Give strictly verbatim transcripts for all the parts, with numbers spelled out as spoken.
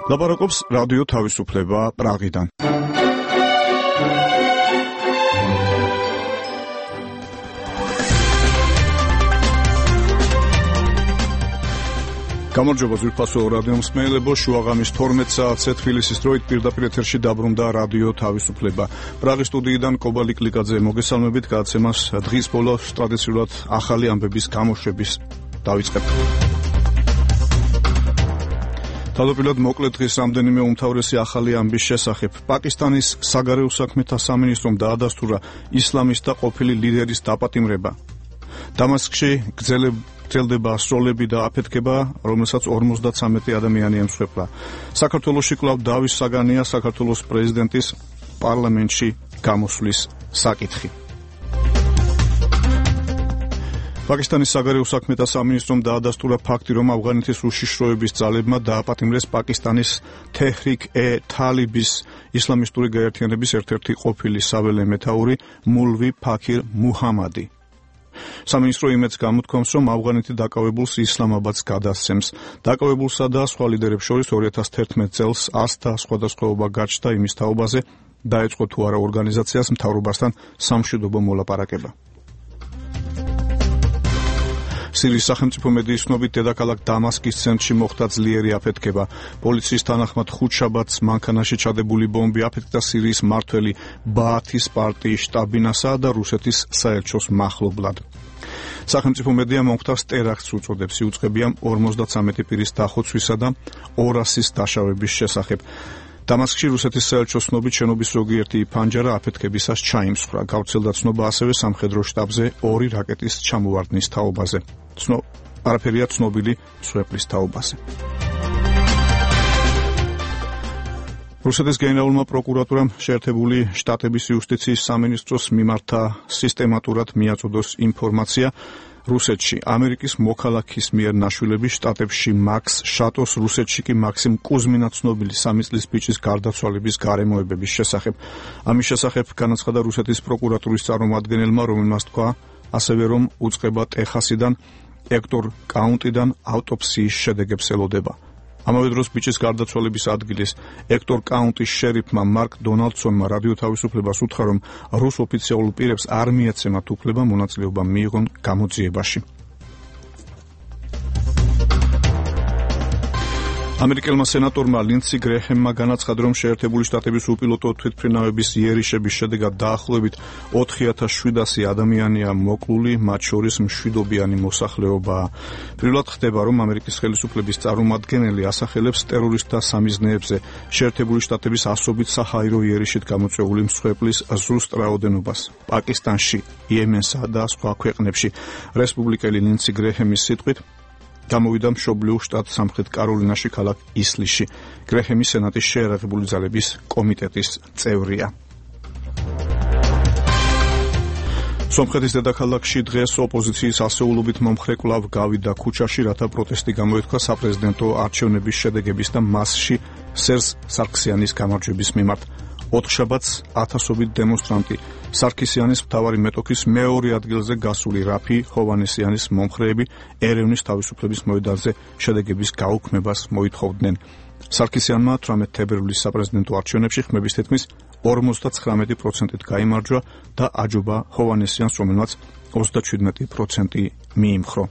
ლაპარაკობს რადიო თავისუფლება პრაღიდან. გამარჯობა ძვირფასო რადიო მსმენელებო, შუაღამის თორმეტ საათზე თბილისის დროით პირდაპირ ეთერში დაბრუნდა რადიო თავისუფლება. პრაღის სტუდიიდან კობალი კლიკაძე მოგესალმებით, გადაცემას დღის ბოლოს ტრადიციულად ახალი ამბების გამოშვების დავიწყებ. თავდაპირველად მოკლედ დღის რამდენიმე უმთავრესი ახალი ამბის შესახებ. პაკისტანის საგარეო საქმეთა სამინისტრომ დაადასტურა ისლამისტთა ყოფილი ლიდერის დაპატიმრება. დამასკში გრძელდება სროლები და აფეთქება, რომელსაც ორმოცდათვრამეტი ადამიანი ემსხვერპლა. საქართველოში კვლავ დავის საგანია საქართველოს პრეზიდენტის პარლამენტში გამოსვლის საკითხი. პაკისტანის საგარეო საქმეთა სამინისტრომ დაადასტურა ფაქტი, რომ ავღანეთის უშიშროების ძალებმა დააპატიმრეს პაკისტანის თეჰრიკ-ე-თალიბის ისლამისტური გაერთიანების ერთ-ერთი ყოფილი საველე მეთაური მულვი ფაქირ მუჰამადი. სამინისტრო იმედს გამოთქვამს, რომ ავღანეთი დაკავებულს ისლამაბადს გადასცემს. დაკავებულსა და სხვა ლიდერებს შორის ორი ათას თერთმეტ წელს ასთა სხვადასხვაობა გაჩნდა იმის თაობაზე, დაეწყო თუ არა ორგანიზაციას მთავრობასთან სამშვიდობო მოლაპარაკება. სირიის სახელმწიფო მედიის ცნობით, დედაქალაქ დამასკის ცენტრში მოხდა ძლიერი აფეთქება. პოლიციის თანახმად ხუთშაბათს მანქანაში ჩადებული ბომბი აფეთქდა სირიის მმართველი ბაათის პარტიის შტაბ-ბინასა და რუსეთის საელჩოს მახლობლად. სახელმწიფო მედია მომხდარს ტერაქტს უწოდებს, იუწყებია ორმოცდათვრამეტი პირის დახოცვისა და ორასის დაშავების შესახებ. დამასკში რუსეთის საელჩოს ცნობით, შენობის ზოგიერთი ფანჯარა აფეთქებისას ჩაიმსხვრა. გავრცელდა ცნობა ასევე სამხედრო შტაბზე ორი რაკეტის ჩამოვარდნის თაობაზე. ცნო არაფერია ცნობილი მსხვერპლის თაობაზე. რუსეთის გენერალურმა პროკურატურამ შეერთებული შტატების იუსტიციის სამინისტროს მიმართა სისტემატურად მიაწოდოს ინფორმაცია რუსეთში ამერიკის მოქალაქის მიერ ნაშვილების შტატებში მაქს შატოს, რუსეთში კი მაქსიმ კუზმინა ცნობილი სამი წლის ბიჭის გარდაცვალების გარემოებების შესახებ. ამის შესახებ განაცხადა რუსეთის პროკურატურის წარმომადგენელმა, რომელმაც თქვა ასევე, რომ უწყება ტეხასიდან ექტორ კაუნტიდან ავტოპსიის შედეგებს ელოდება. ამავე დროს ბიჭის გარდაცვალების ადგილის ექტორ კაუნტის შერიფმა მარკ დონალდსონმა რადიო თავისუფლებას უთხრა, რომ რუს ოფიციალურ პირებს არ მიეცემათ უფლება მონაწილეობა მიიღონ გამოძიებაში. ამერიკელმა სენატორმა ლინდსი გრეჰემმა განაცხადა, რომ შეერთებული შტატების უპილოტო თვითმფრინავების იერიშების შედეგად დაახლოებით ოთხი ათას შვიდასი ადამიანია მოკლული, მათ შორის მშვიდობიანი მოსახლეობაა. პირველად ხდება, რომ ამერიკის ხელისუფლების წარმომადგენელი ასახელებს ტერორისტთა სამიზნეებზე შეერთებული შტატების ასობით საჰაერო იერიშით გამოწვეული მსხვერპლის ზუსტ რაოდენობას პაკისტანში, იემენსა და სხვა ქვეყნებში. რესპუბლიკელი ლინდსი გრეჰემის სიტყვით გამოვიდა მშობლიურ შტატ სამხრეთ კაროლინაში ქალაქ ისლიში. გრეჰემი სენატის შეერაღებული ძალების კომიტეტის წევრია. სომხეთის დედაქალაქში დღეს ოპოზიციის ასეულობით მომხრე კვლავ გავიდა ქუჩაში, რათა პროტესტი გამოეთქვა საპრეზიდენტო არჩევნების შედეგების და მასში სერჟ სარქსიანის გამარჯვების მიმართ. ოთხშაბათს ათასობით დემონსტრანტი სარქისიანის მთავარი მეტოქის მეორე ადგილზე გასული რაფი ჰოვანესიანის მომხრეები ერევნის თავისუფლების მოედანზე შედეგების გაუქმებას მოითხოვდნენ. სარქისიანმა თვრამეტ თებერვლის საპრეზიდენტო არჩევნებში ხმების თითქმის ორმოცდათვრამეტი პროცენტით გაიმარჯვა და აჯობა ჰოვანესიანს, რომელმაც ოცდაჩვიდმეტი პროცენტი მიიმხრო.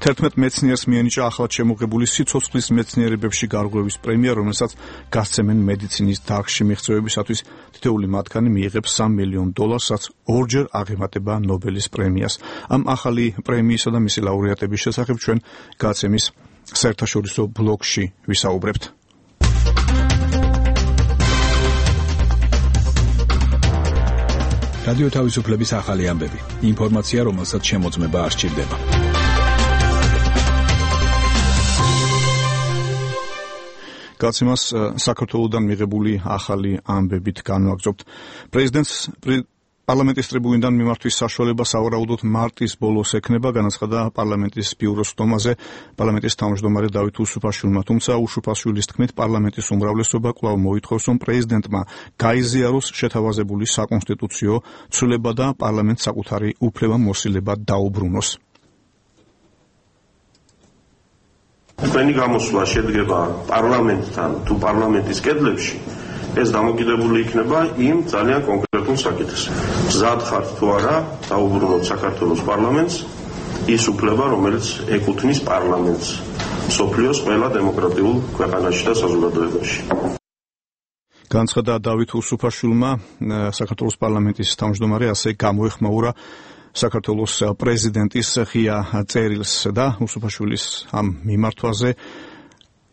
თერთმეტ მეცნიერს მიენიჭა ახლად შემოღებული სიცოცხლის მეცნიერებებში გარღვევის პრემია, რომელსაც გასცემენ მედიცინის დარგში მიღწევებისათვის. თითოეული მათგანი მიიღებს სამ მილიონ დოლარს, რაც ორჯერ აღემატება ნობელის პრემიას. ამ ახალი პრემიისა და მისი ლაურეატების შესახებ ჩვენ გადაცემის საერთაშორისო ბლოგში ვისაუბრებთ. რადიო თავისუფლების ახალი ამბები. ინფორმაცია, რომელსაც შემოწმება არ სჭირდება. გადაცემას საქართველოდან მიღებული ახალი ამბებით განვაგრძობთ. პრეზიდენტს პარლამენტის ტრიბუნიდან მიმართვის საშუალება სავარაუდოდ მარტის ბოლოს ექნება, განაცხადა პარლამენტის ბიუროს სტომაზე პარლამენტის თავმჯდომარე დავით უსუფაშვილმა. თუმცა უშუფაშვილის თქმით, პარლამენტის უმრავლესობა კვლავ მოითხოვს, რომ პრეზიდენტმა გაიზიაროს შეთავაზებული საკონსტიტუციო ცვლილება და პარლამენტს საკუთარი უფლება მოსილება დაუბრუნოს. Თქვენი გამოსვლა შედგება პარლამენტთან თუ პარლამენტის კედლებში, ეს დამოკიდებული იქნება იმ ძალიან კონკრეტულ საკითხს. მზად ხართ თუ არა დაუბრუნოთ საქართველოს პარლამენტს ის უფლება, რომელიც ეკუთვნის პარლამენტს მსოფლიოს ყველა დემოკრატიულ ქვეყანაში და საზოგადოებაში. განცხადა დავით უსუფაშვილმა, საქართველოს პარლამენტის თავმჯდომარე, ასე გამოეხმაურა საქართველოს პრეზიდენტის ღია წერილს და უსუფაშვილის ამ მიმართვაზე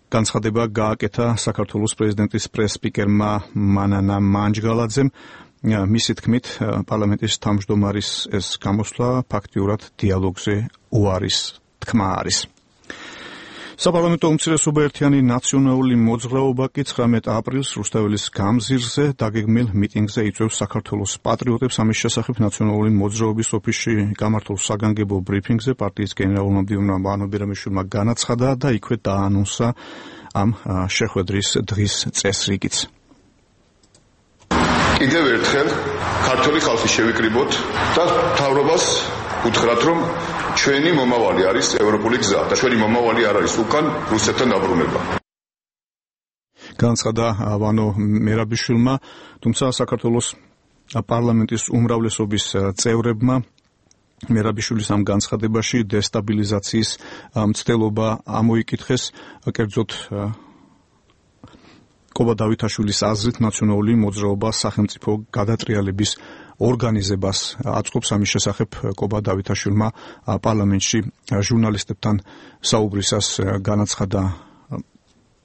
განცხადება გააკეთა საქართველოს პრეზიდენტის პრეს-სპიკერმა მანანა მანჯგალაძემ. მისი თქმით, პარლამენტის თავმჯდომარის ეს გამოსვლა ფაქტიურად დიალოგზე უარის თქმა არის. საპარლამენტო უმცირესობა ერთიანი ნაციონალური მოძრაობა კი ცხრამეტ აპრილს რუსთაველის გამზირზე დაგეგმილ მიტინგზე იწვევს საქართველოს პატრიოტებს. ამის შესახებ ნაციონალური მოძრაობის ოფისში გამართულ საგანგებო ბრიფინგზე პარტიის გენერალურმა მდივანმა ვანო ბერამიშვილმა განაცხადა და იქვე დაანონსა ამ შეხვედრის დღის წესრიგიც. კიდევ ერთხელ ქართული ხალხი შევიკრიბოთ და მთავრობას უთხრათ, რომ ჩვენი მომავალი არის ევროპული გზა და ჩვენი მომავალი არ არის უკან რუსეთთან დაბრუნება. განცხადა ვანო მერაბიშვილმა, თუმცა საქართველოს პარლამენტის უმრავლესობის წევრებმა მერაბიშვილის ამ განცხადებაში დესტაბილიზაციის მცდელობა ამოიკითხეს, კერძოდ კობა დავითაშვილის აზრით ნაციონალური მოძრაობა სახელმწიფო გადატრიალების ორგანიზებას აწყობს. ამის შესახებ კობა დავითაშვილმა პარლამენტში ჟურნალისტებთან საუბრისას განაცხადა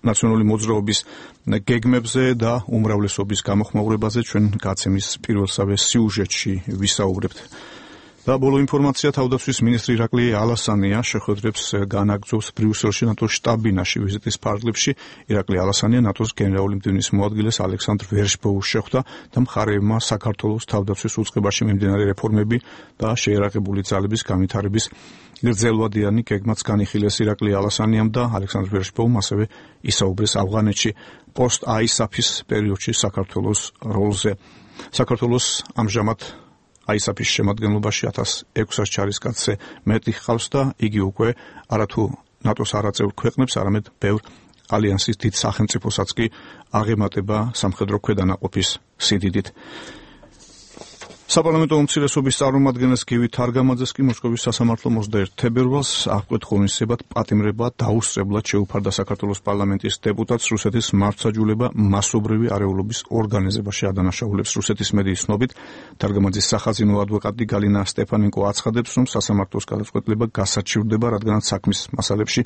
ნაციონალური მოძრაობის გეგმებზე და უმრავლესობის გამოხმაურებაზე. ჩვენ გაცემის პირველსავე სიუჟეტში ვისაუბრებთ. და ბოლო ინფორმაცია, თავდაცვის მინისტრი ირაკლი ალასანია შეხვედრებს განაგრძობს ბრიუსელში ნატოს შტაბ-ბინაში ვიზიტის ფარგლებში. ირაკლი ალასანია ნატოს გენერალური მდივნის მოადგილეს ალექსანდრ ვერშბოუს შეხვდა და მხარეებმა საქართველოს თავდაცვის უწყებაში მიმდინარე რეფორმები და შეიარაღებული ძალების განვითარების გრძელვადიანი გეგმაც განიხილეს. ირაკლი ალასანიამ და ალექსანდრ ვერშბოუმ ასევე ისაუბრეს ავღანეთში პოსტ-აისაფის პერიოდში საქართველოს როლზე. საქართველოს ამჟამად აისაფის შემადგენლობაში ათას ექვსას ჯარისკაცზე მეტი ჰყავს და იგი უკვე არათუ ნატოს არაწევრ ქვეყნებს, არამედ ბევრ ალიანსის დიდ სახელმწიფოსაც კი აღემატება სამხედრო ქვედანაყოფის სიდიდით. საპარლამენტო უმცირესობის წარმომადგენლის გივი თარგამაძეს კი მოსკოვის სასამართლო ოცდაერთი თებერვალს აღკვეთ ღონისძიებად პატიმრება დაუსწრებლად შეუფარდა საქართველოს პარლამენტის დეპუტატს რუსეთის მართლმსაჯულება მასობრივი არეულობის ორგანიზებაში ადანაშაულებს. რუსეთის მედიის ცნობით, თარგამაძის სახაზინო ადვოკატი გალინა სტეფანენკო აცხადებს, რომ სასამართლოს გადაწყვეტილება გასაჩივრდება, რადგანაც საქმის მასალებში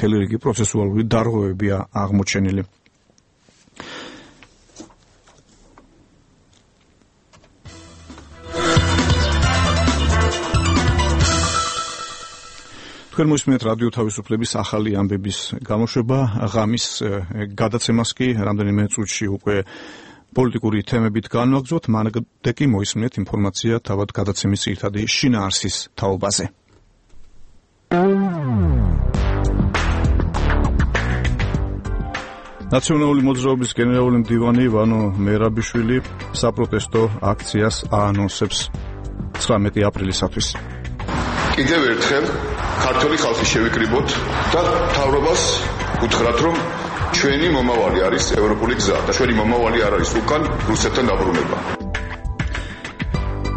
მთელი რიგი პროცესუალური დარღვევებია აღმოჩენილი. თქვენ მოსმენთ რადიო თავისუფლების ახალი ამბების გამოშვება. ღამის გადაცემას კი რამდენიმე წუთში უკვე პოლიტიკური თემებით განვაგრძობთ. მანამდე კი მოისმინეთ ინფორმაცია თავად გადაცემის ძირითადი შინაარსის თაობაზე. ნაციონალური მოძრაობის გენერალური მდივანი ვანო მერაბიშვილი საპროტესტო აქციას აანონსებს ცხრამეტი აპრილისათვის. კიდევ ერთხელ ქართული ხალხი შევიკრიბოთ და მთავრობას უთხრათ, რომ ჩვენი მომავალი არის ევროპული გზა და ჩვენი მომავალი არ არის უკან რუსეთთან დაბრუნება.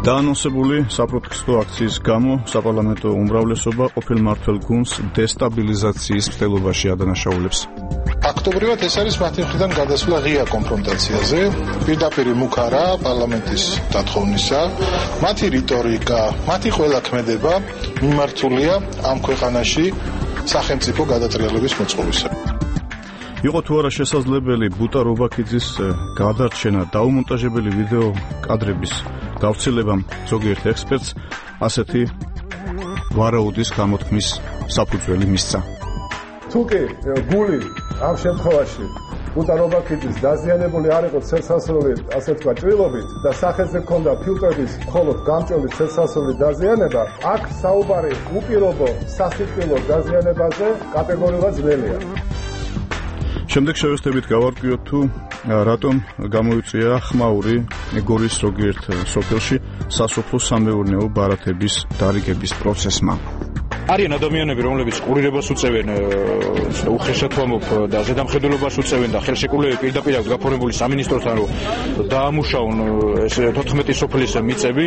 დაანონსებული საპროტესტო აქციის გამო საპარლამენტო უმრავლესობა ყოფილ მმართველ გუნდს დესტაბილიზაციის მცდელობაში ადანაშაულებს. ფაქტობრივად ეს არის მათი მხრიდან გადასვლა ღია კონფრონტაციაზე, პირდაპირ მუქარა პარლამენტის დათხოვნისა, მათი რიტორიკა, მათი ყველა ქმედება მიმართულია ამ ქვეყანაში სახელმწიფო გადატრიალების მოწყობისკენ. იყო თუ არა შესაძლებელი ბუტა რობაქიძის გადარჩენა დაუმონტაჟებელი ვიდეო კადრების გავრცელებამ ზოგიერთ ექსპერტს ასეთი ვარაუდის გამოთქმის საფუძველი მისცა. თუკი გული ამ შემთხვევაში ბუტა რობაქიძის დაზიანებული არ იყო ცელსასროლი, ასე თქვა, ჭრილობით და სახეზე ჰქონდა ფილტრების მხოლოდ გამჭოლი ცელსასროლი დაზიანება, აქ საუბარი უპირობო სასიკვდილო დაზიანებაზე კატეგორიულად ძნელია. შემდეგ შევეცდებით გავარკვიოთ თუ რატომ გამოიწვია ხმაური გორის ზოგიერთ სოფელში სასოფლო სამეურნეო ბარათების დარიგების პროცესმა. არიან ადამიანები, რომლებიც ყურირებას უწევენ, უხეშად ვამბობ და ზედამხედველობას უწევენ და ხელშეკრულებები პირდაპირ აქვს გაფორმებული სამინისტროსთან, რომ დაამუშავონ ეს თოთხმეტი სოფლის მიწები.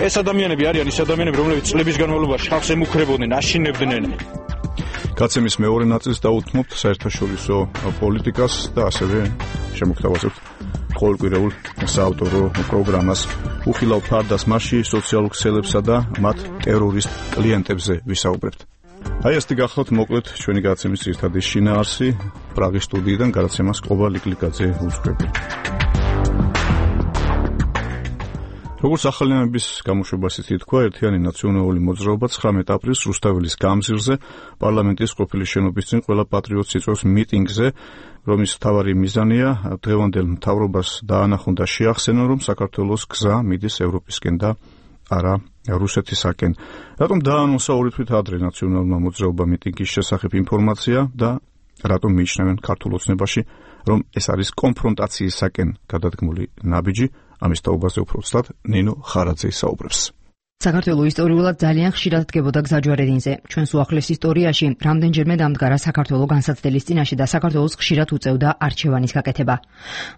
ეს ადამიანები არიან ის ადამიანები, რომლებიც წლების განმავლობაში ხალხს ემუქრებოდნენ, აშინებდნენ. გაცემის მეორე ნაწილს დაუთმობთ საერთაშორისო პოლიტიკას და ასევე შემოგთავაზებთ ყოველკვირეულ საავტორო პროგრამას უხილავ ფარდას მასში სოციალურ ქსელებსა და მათ ტერორისტ კლიენტებზე ვისაუბრებთ. აი ესეთი გახლავთ მოკლედ ჩვენი გაცემის ძირითადი შინაარსი პრაღის სტუდიიდან გადაცემას ყობა ლიკლიკაძე უძღვები. როგორც ახალი ამების გამოშვებას ითქვა, ერთიანი ნაციონალური მოძრაობა ცხრამეტ აპრილს რუსთაველის გამზირზე პარლამენტის ყოფილი შენობის წინ ყველა პატრიოტს იწვევს მიტინგზე, რომლის მთავარი მიზანია დღევანდელ მთავრობას დაანახონ და შეახსენონ, რომ საქართველოს გზა მიდის ევროპისკენ და არა რუსეთისაკენ. რატომ დაანონსა ორი თვით ადრე ნაციონალურმა მოძრაობამ მიტინგის შესახებ ინფორმაცია და რატომ მიიჩნევენ ქართულ ოცნებაში, რომ ეს არის კონფრონტაციისაკენ გადადგმული ნაბიჯი? ამის თაობაზე უფრო ცუდად ნინო ხარაძე ისაუბრებს. საქართველოს ისტორიულად ძალიან ხშირად დგებოდა გზაჯვარედინზე. ჩვენს უახლეს ისტორიაში რამდენჯერმე დამდგარა საქართველოს განსაცდელის წინაშე და საქართველოს ხშირად უწევდა არჩევანის გაკეთება.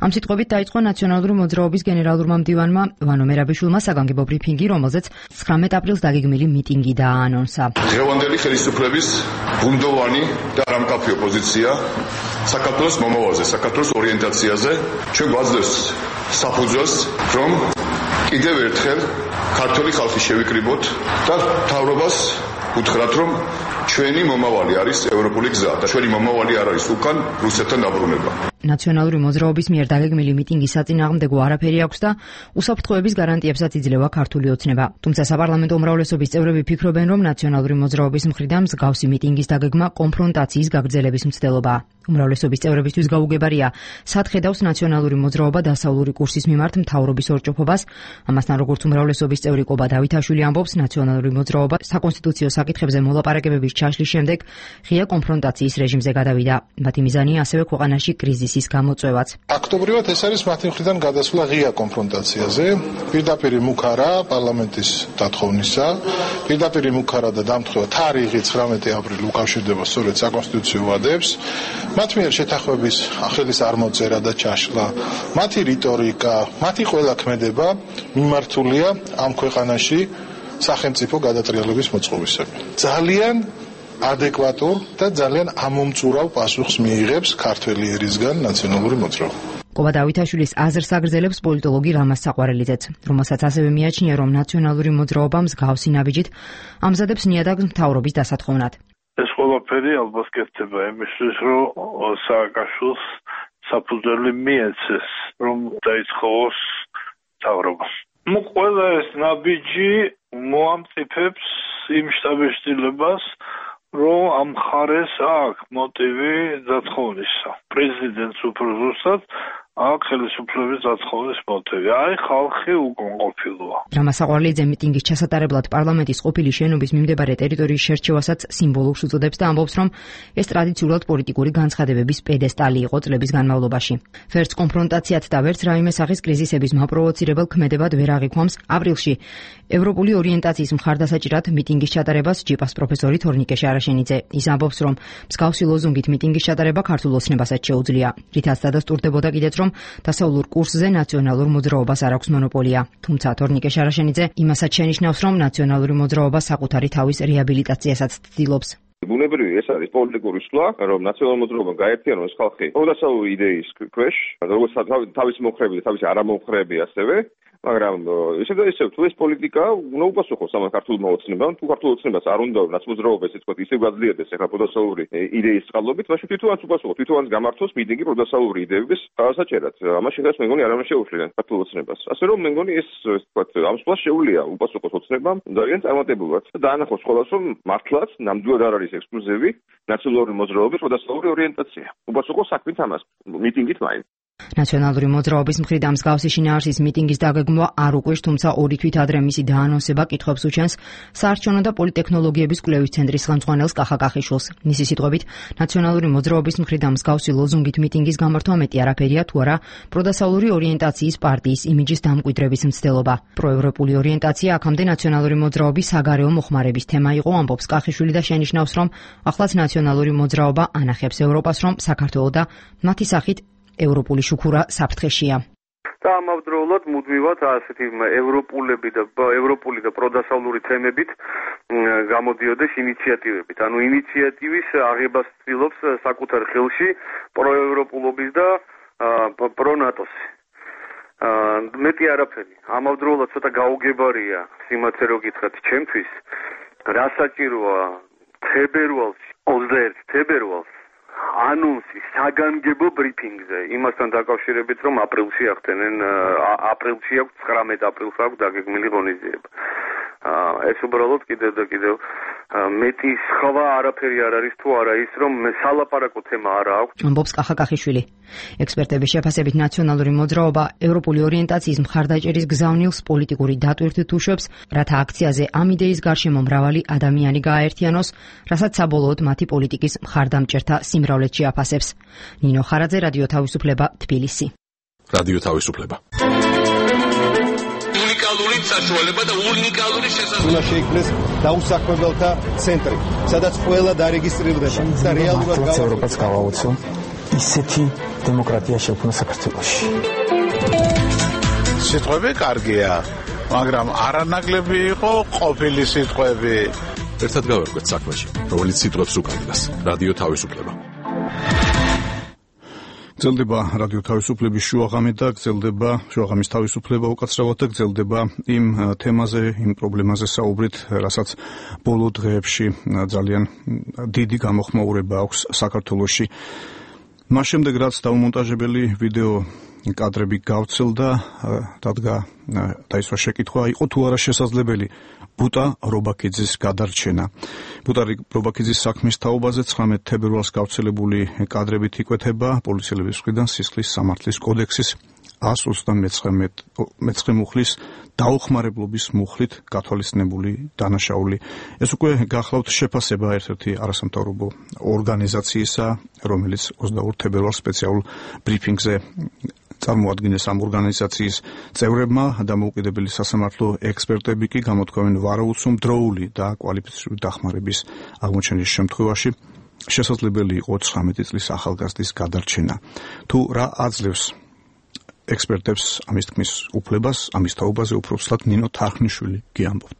ამ სიტყვებით დაიწყო ნაციონალური მოძრაობის გენერალურმა მდივანმა ვანო მერაბიშვილმა საგანგებო ბრიფინგი, რომელზეც ცხრამეტ აპრილს დაგეგმილი მიტინგი დააანონსა. დღევანდელი ხელისუფლების ბუნდოვანი და რამკაფიო პოზიცია საქართველოს მომავალზე, საქართველოს ორიენტაციაზე ჩვენ გვაძლევს საფუძველს, რომ კიდევ ერთხელ ქართული ხალხი შევიკრიბოთ და მთავრობას უთხრათ, რომ ჩვენი მომავალი არის ევროპული გზა და ჩვენი მომავალი არ არის უკან რუსეთთან დაბრუნება. ნაციონალური მოძრაობის მიერ დაგეგმილი მიტინგის საწინააღმდეგო არაფერი აქვს და უსაფრთხოების გარანტიებსაც იძლევა ქართული ოცნება. თუმცა საპარლამენტო უმრავლესობის წევრები ფიქრობენ, რომ ნაციონალური მოძრაობის მხრიდან მსგავსი მიტინგის დაგეგმა კონფრონტაციის გაგრძელების მცდელობაა. უმრავლესობის წევრებისთვის გაუგებარია, სად ხედავს ნაციონალური მოძრაობა დასავლური კურსის მიმართ მთავრობის ორჭოფობას. ამასთან, როგორც უმრავლესობის წევრი კობა დავითაშვილი ამბობს, ნაციონალური მოძრაობა საკონსტიტუციო საკითხებზე მოლაპარაკებების ჩაშლის შემდეგ ღია კონფრონტაციის რეჟიმზე გადავიდა. მათი მიზანია ასევე ქვეყანაში კრიზისის გამოწვევაც. აქტობრივად ეს არის მათი მხრიდან გადასვლა ღია კონფრონტაციაზე, პირდაპირ მუქარა პარლამენტის დათხოვნისა, პირდაპირ მუქარა და დამთხევა თარიღი ცხრამეტი აპრილი უკავშირდება სწორედ საკონსტიტუციო ვადებს. მათ მიერ შეთანხმების ახლის არ მოწერა და ჩაშლა, მათი რიტორიკა, მათი ყველა ქმედება მიმართულია ამ ქვეყანაში სახელმწიფო გადატრიალების მოწყობისკენ. ძალიან ადეკვატურ და ძალიან ამომწურავ პასუხს მიიღებს ქართველი ერისგან ნაციონალური მოძრაობა. კობა დავითაშვილის აზრს აგრძელებს პოლიტოლოგი რამაზ საყვარელიძეც, რომელსაც ასევე მიაჩნია, რომ ნაციონალური მოძრაობა მსგავსი ნაბიჯით ამზადებს ნიადაგს მთავრობის დასათხოვნად. ეს ყველაფერი ალბათ კეთდება იმისთვის, რომ სააკაშვილს საფუძველი მიეცეს, რომ დაითხოვოს მთავრობა. ნუ ყველა ეს ნაბიჯი მოამწიფებს იმ შტაბეშტილებას, რომ ამ მხარეს აქვს მოტივი დათხოვნისა. პრეზიდენტს უფრო ზუსტად აქვს ხელისუფლების დათხოვნის მოტივი. აი ხალხი უკმაყოფილოა. რამაზ საყვარელიძე მიტინგის ჩასატარებლად პარლამენტის ყოფილი შენობის მიმდებარე ტერიტორიის შერჩევასაც სიმბოლურს უწოდებს და ამბობს, რომ ეს ტრადიციულად პოლიტიკური განცხადებების პედესტალი იყო წლების განმავლობაში. ვერც კონფრონტაციად და ვერც რაიმე სახის კრიზისების მაპროვოცირებელ ქმედებად ვერ აღიქვამს. აპრილში ევროპული ორიენტაციის მხარდასაჭირად მიტინგის ჩატარებას ჯიპას პროფესორი თორნიკე შარაშენიძე. ის ამბობს, რომ მსგავსი ლოზუნგით მიტინგის ჩატარება ქართულ ოცნებასაც შეუძლია. რითაც დადასტურდებოდა კიდეც, რომ დასავლურ კურსზე ნაციონალურ მოძრაობას არ აქვს მონოპოლია. თუმცა თორნიკე შარაშენიძე იმასაც შენიშნავს, რომ ნაციონალური მოძრაობა საკუთარი თავის რეაბილიტაციასაც ცდილობს. ბუნებრივი ეს არის პოლიტიკური სვლა, რომ ნაციონალურ მოძრაობამ გაერთიანოს ხალხი პროდასავლური იდეის ქვეშ, როგორც თავის მომხრეები და თავის არამომხრეები ასევე, მაგრამ ისე და ისე თუ ეს პოლიტიკა უნდა უპასუხოს ამ ქართულმა ოცნებამ, თუ ქართულ ოცნებას არ უნდა ნაცმოძრაობა ესე ვთქვათ ისე გაძლიერდეს ახლა პროდასავლური იდეის წყალობით, მაშინ თვითონაც უპასუხოს, თვითონაც გამართოს მიტინგი პროდასავლური იდეების დასაჭერად. ამაში ხას მე მგონი არავინ შეუშვლიათ ქართულ ოცნებას. ასე რომ მე მგონი ეს ესე ვთქვათ ამ სვლას შეუძლია უპასუხოს ოცნებამ ძალიან წარმატებულად და დაანახოს ყველას, რომ მართლაც ნამდვილად არ არის ექსკლუზივი ნაციონალური მოძრაობის პროდასავლური ორიენტაცია. უპასუხოს საქმით ამას მიტინგით მაინც. ნაციონალური მოძრაობის მხრიდან მსგავსი შინაარსის მიტინგის დაგეგმვა არ უკვირს, თუმცა ორი თვით ადრე მისი დაანონსება კითხვებს უჩენს საარჩევნო და პოლიტექნოლოგიების კვლევის ცენტრის ხელმძღვანელს კახა კახიშვილს. მისი სიტყვებით, ნაციონალური მოძრაობის მხრიდან მსგავსი ლოზუნგით მიტინგის გამართვა მეტი არაფერია, თუ არა პროდასავლური ორიენტაციის პარტიის იმიჯის დამკვიდრების მცდელობა. პროევროპული ორიენტაცია აქამდე ნაციონალური მოძრაობის საგარეო მოხმარების თემა იყო, ამბობს კახიშვილი და შენიშნავს, რომ ახლაც ნაციონალური მოძრაობა ანახებს ევროპას, რომ საქართველო და მათი სახით ევროპული შუქურა საფრთხეშია. და ამავდროულად მუდმივად ასეთი ევროპულები და ევროპული და პროდასავლური თემებით გამოდიოდეს ინიციატივებით. ანუ ინიციატივის აღებას ცდილობს საკუთარ ხელში პროევროპულობის და პრონატოს. მეტი არაფერი. ამავდროულად ცოტა გაუგებარია სიმართლე რო გითხრათ ჩემთვის, რა საჭიროა თებერვალში, ოცდაერთი თებერვალს ანონსი საგანგებო ბრიფინგზე, იმასთან დაკავშირებით, რომ აპრილში ახდენენ, აპრილში აქვს ცხრამეტ აპრილს აქვს დაგეგმილი ღონისძიება. ეს უბრალოდ კიდევ და კიდევ მეტი სხვა არაფერი არ არის თუ არა ის, რომ სალაპარაკო თემა არ აქვს. ამბობს კახა კახიშვილი. ექსპერტების შეფასებით ნაციონალური მოძრაობა ევროპული ორიენტაციის მხარდაჭერის გზავნილს პოლიტიკური დატვირთვით უშვებს, რათა აქციაზე ამ იდეის გარშემო მრავალი ადამიანი გააერთიანოს, რასაც საბოლოოდ მათი პოლიტიკის მხარდამჭერთა სიმრავლეც შეაფასებს. ნინო ხარაძე, რადიო თავისუფლება, თბილისი. რადიო თავისუფლება. უნიკალური საშუალება და უნიკალური შესაძლებლობა. უნდა შეიქმნეს დაუსაქმებელთა ცენტრი, სადაც ყველა დარეგისტრირდება და რეალურად ევროპას გავაოცო ისეთი დემოკრატია შექმნა საქართველოში. სიტყვები კარგია, მაგრამ არანაკლები იყო ყოფილი სიტყვები. ერთად გავერკვეთ საქმეში, რომელიც სიტყვებს უკავშირდება. რადიო თავისუფლება. გრძელდება რადიო თავისუფლების შუაღამი და გრძელდება შუაღამის თავისუფლება უკაცრავად და გრძელდება იმ თემაზე, იმ პრობლემაზე საუბრით, რასაც ბოლო დღეებში ძალიან დიდი გამოხმაურება აქვს საქართველოში. მას შემდეგ, რაც დაუმონტაჟებელი ვიდეო კადრები გავრცელდა, დადგა დაისვა შეკითხვა, იყო თუ არა შესაძლებელი ბუტა რობაქიძის გადარჩენა. ბუტა რობაქიძის საქმის თაობაზე ცხრამეტ თებერვალს გავრცელებული კადრებით იკვეთება პოლიციელების მხრიდან სისხლის სამართლის კოდექსის εκατს ოცდამეცხრე მუხლის დაუხმარებლობის მუხლით გათვალისწინებული დანაშაული. ეს უკვე გახლავთ შეფასება ერთ-ერთი არასამთავრობო ორგანიზაციისა, რომელიც ოცდაორ თებერვალს სპეციალურ ბრიფინგზე წარმოადგენს ამ ორგანიზაციის წევრებმა. დამოუკიდებელი სასამართლო ექსპერტები კი გამოთქვამენ ვარაუდს, დროული და კვალიფიციური დახმარების აღმოჩენის შემთხვევაში შესაძლებელი იყო ცხრამეტი წლის ახალგაზრდის გადარჩენა. თუ რა აძლევს ექსპერტებს ამის თქმის უფლებას, ამის თაობაზე უფრო ვსლად ნინო თარხნიშვილი გიამბობთ.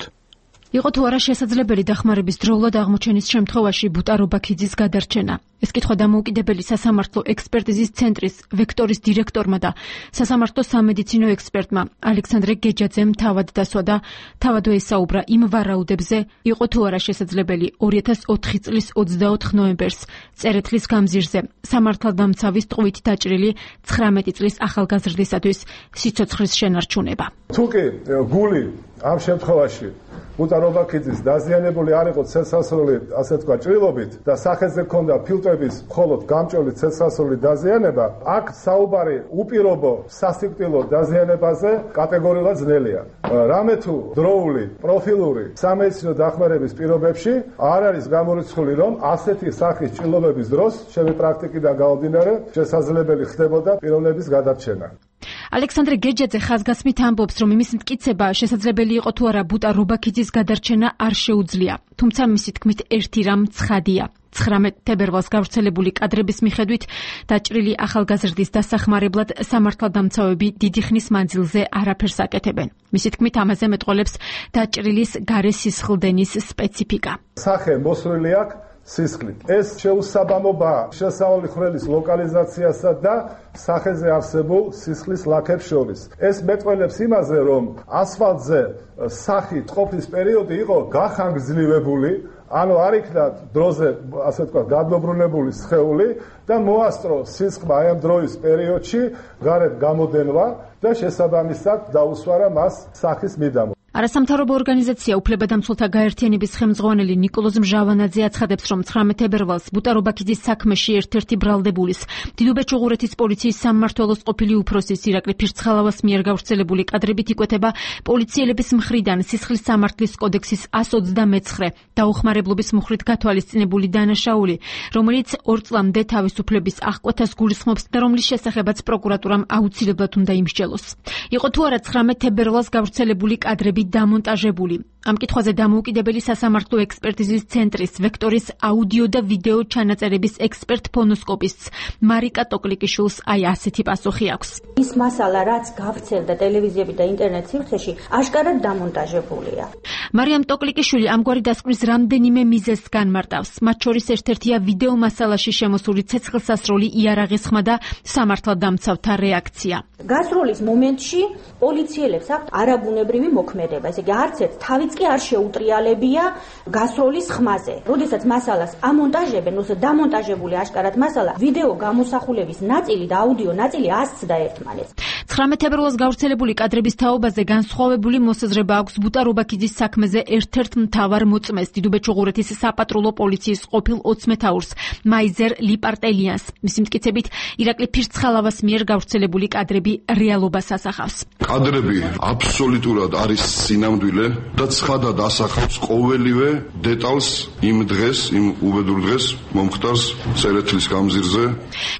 იყო თუ არა შესაძლებელი დახმარების დროულად აღმოჩენის შემთხვევაში ბუტა რობაქიძის გადარჩენა. ეს კითხვა დამოუკიდებელი სასამართლო ექსპერტიზის ცენტრის ვექტორის დირექტორმა და სასამართლო სამედიცინო ექსპერტმა ალექსანდრე გეჯაძემ თავად დასვა და თავად ესაუბრა იმ ვარაუდებზე, იყო თუ არა შესაძლებელი ორი ათას ოთხი წლის ოცდაოთხ ნოემბერს წერეთლის გამზირზე სამართალდამცავის ტყვით დაჭრილი ცხრამეტი წლის ახალგაზრდისათვის სიცოცხლის შენარჩუნება. თუკი გული ამ შემთხვევაში ბუტა რობაქიძის დაზიანებული არ იყო ცეცხლსასროლი, ასე თქვა, ჭრილობით და სახეზე ჰქონდა ფილტრების მხოლოდ გამჭოლი ცეცხლსასროლი დაზიანება, აქ საუბარი უპირობო სასიკვდილო დაზიანებაზე კატეგორიულად ძნელია. რამე თუ დროული პროფილური სამედიცინო დახმარების პირობებში არ არის გამორიცხული, რომ ასეთი სახის ჭრილობების დროს ჩემი პრაქტიკიდან გამომდინარე შესაძლებელი ხდებოდა პიროვნების გადარჩენა. ალექსანდრე გეჯაძე ხაზგასმით ამბობს, რომ იმის მტკიცება შესაძლებელი იყო თუ არა ბუტა რობაქიძის გადარჩენა არ შეუძლია, თუმცა მისი თქმით ერთი რამ ცხადია. ცხრამეტ თებერვალს გავრცელებული კადრების მიხედვით დაჭრილი ახალგაზრდის დასახმარებლად სამართალდამცავები დიდი ხნის მანძილზე არაფერს აკეთებენ. მისი თქმით ამაზე მეტყოლებს დაჭრილის გარე სისხლდენის სპეციფიკა. სახე მოსვლილი აქვს სისხლით. ეს შეუსაბამობა შესავალი ხვრელის ლოკალიზაციასა და სახეზე არსებულ სისხლის ლაქებს შორის. ეს მეტყველებს იმაზე, რომ ასფალტზე სახით ყოფნის პერიოდი იყო გახანგრძლივებული, ანუ არ იქნა დროზე, ასე ვთქვათ, გადმობრუნებული სხეული და მოასწრო სისხლმა აი ამ დროის პერიოდში გარეთ გამოდენვა და შესაბამისად დაუსვარა მას სახის მიდამო. არასამთავრობო ორგანიზაცია უფლებადამცველთა გაერთიანების ხელმძღვანელი ნიკოლოზ მჟავანაძე აცხადებს, რომ ცხრამეტ თებერვალს ბუტა-რობაქიძის საქმეში ერთ-ერთი ბრალდებულის დიდუბეთ-ჩუღურეთის პოლიციის სამმართველოს ყოფილი უფროსის ირაკლი ფირცხალავას მიერ გავრცელებული კადრებით იკვეთება პოლიციელების მხრიდან სისხლის სამართლის კოდექსის εκατს ოცდამეცხრე დაუხმარებლობის მუხრით გათვალისწინებული დანაშაული, რომელიც ორ წლამდე თავისუფლების აღკვეთას გულისხმობს და რომლის შესახებაც პროკურატურამ აუცილებლად უნდა იმსჯელოს. იყო თუ არა ცხრამეტ თებერვალს გავრცელებული კადრები დამონტაჟებული. ამ კითხვაზე დამოუკიდებელი სასამართლო ექსპერტიზის ცენტრის ვექტორის აუდიო და ვიდეო ჩანაწერების ექსპერტ ფონოსკოპისტს მარიკა ტოკლიკიშვილს აი ასეთი პასუხი აქვს. ის მასალა, რაც გავრცელდა ტელევიზიები და ინტერნეტ სივრცეში, აშკარად დამონტაჟებულია. მარიამ ტოკლიკიშვილი ამგვარი დასკვნის რამდენიმე მიზეზს განმარტავს. მათ შორის ერთ-ერთია ვიდეო მასალაში შემოსული ცეცხლსასროლი იარაღის ხმა და სამართალდამცავთა რეაქცია. გასროლის მომენტში პოლიციელებს აქვთ არაბუნებრივი მოქმედება, ესე იგი არც ერთ თავიც კი არ შეუტრიალებია გასროლის ხმაზე. როდესაც მასალას ამონტაჟებენ, ოსე დამონტაჟებული აშკარად მასალა, ვიდეო გამოსახულების ნაწილი და აუდიო ნაწილი ასცდა ერთმანეთს. ცხრამეტ თებერვალს გავრცელებული კადრების თაობაზე განსხვავებული მოსაზრება აქვს ბუტა-რობაქიძის საქმეზე ერთ-ერთ მთავარ მოწმეს დიდუბეთ-ჩუღურეთის საპატრულო პოლიციის ყოფილ ოცმეთაურს მაიზერ ლიპარტელიანს. მისი მტკიცებით, ირაკლი ფირცხალავას მიერ გავრცელებული კადრები რეალობას ასახავს. კადრები აბსოლუტურად არის სინამდვილე და ცხადად ასახავს ყოველივე დეტალს იმ დღეს, იმ უბედურ დღეს მომხდარს წერეთლის გამზირზე.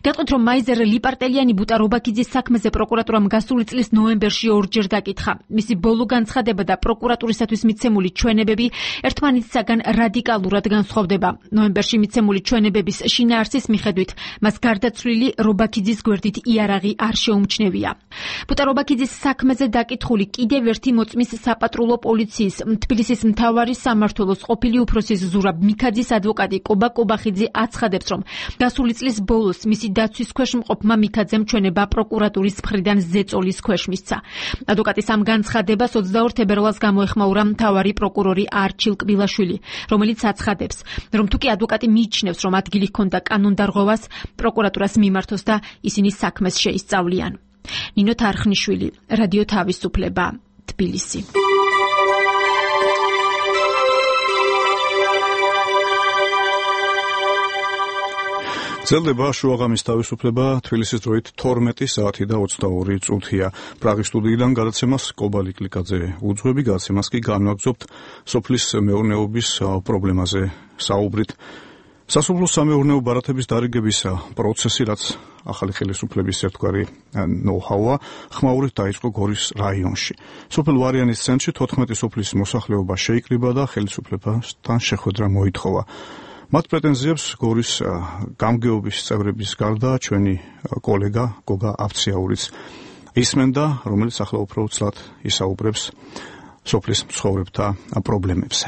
გეტყვით, რომ მაიზერ ლიპარტელიანი ბუტა-რობაქიძის საქმეზე პროკურატურამ გასული წლის ნოემბერში ორჯერ დაკითხა. მისი ბოლო განცხადება და პროკურატურისათვის მიცემული ჩვენებები ერთმანეთისაგან რადიკალურად განსხვავდება. ნოემბერში მიცემული ჩვენებების შინაარსის მიხედვით მას გარდაცვლილი რობაქიძის გვერდით იარაღი არ შეუმჩნევია. ბუტა-რობაქიძის საქმეზე დაკითხული კიდევ ერთი მოწმის საპატრულო პოლიციის თბილისის მთავარი სამმართველოს ყოფილი უფროსის ზურაბ მიქაძის ადვოკატი კობა კობახიძე აცხადებს, რომ გასული წლის ბოლოს მისი დაცვის ქვეშ მყოფმა მიქაძემ ჩვენება პროკურატურის მხრიდან ზეწოლის ქვეშ მისცა. ადვოკატის ამ განცხადებას ოცდაორ თებერვალს გამოეხმაურა მთავარი პროკურორი არჩილ კბილაშვილი, რომელიც აცხადებს, რომ თუკი ადვოკატი მიიჩნევს, რომ ადგილი ჰქონდა კანონდარღვევას, პროკურატურას მიმართოს და ისინი საქმეს შეისწავლიან. ნინო თარხნიშვილი, რადიო თავისუფლება, თბილისი. ძლდება შუაღამის თავისუფლება თბილისის დროით თორმეტი საათი და ოცდაორი წუთია. პრაღის სტუდიიდან გადაცემას კობალი კლიკაძე უძღვები, გადაცემას კი განვაგრძობთ სოფლის მეურნეობის პრობლემაზე საუბრით. სასოფლო სამეურნეო ბარათების დარიგების პროცესი, რაც ახალი ხელისუფლების ერთგვარი ნოუ-ჰაუა, ხმაურით დაიწყო გორის რაიონში. სოფელ ვარიანის ცენტრში თოთხმეტი სოფლის მოსახლეობა შეიკრიბა და ხელისუფლებასთან შეხვედრა მოითხოვა. მათ პრეტენზიებს გორის გამგეობის წევრების გარდა ჩვენი კოლეგა გოგა ავციაურიც ისმენდა, რომელიც ახლა უფრო უცლად ისაუბრებს სოფლის მცხოვრებთა პრობლემებზე.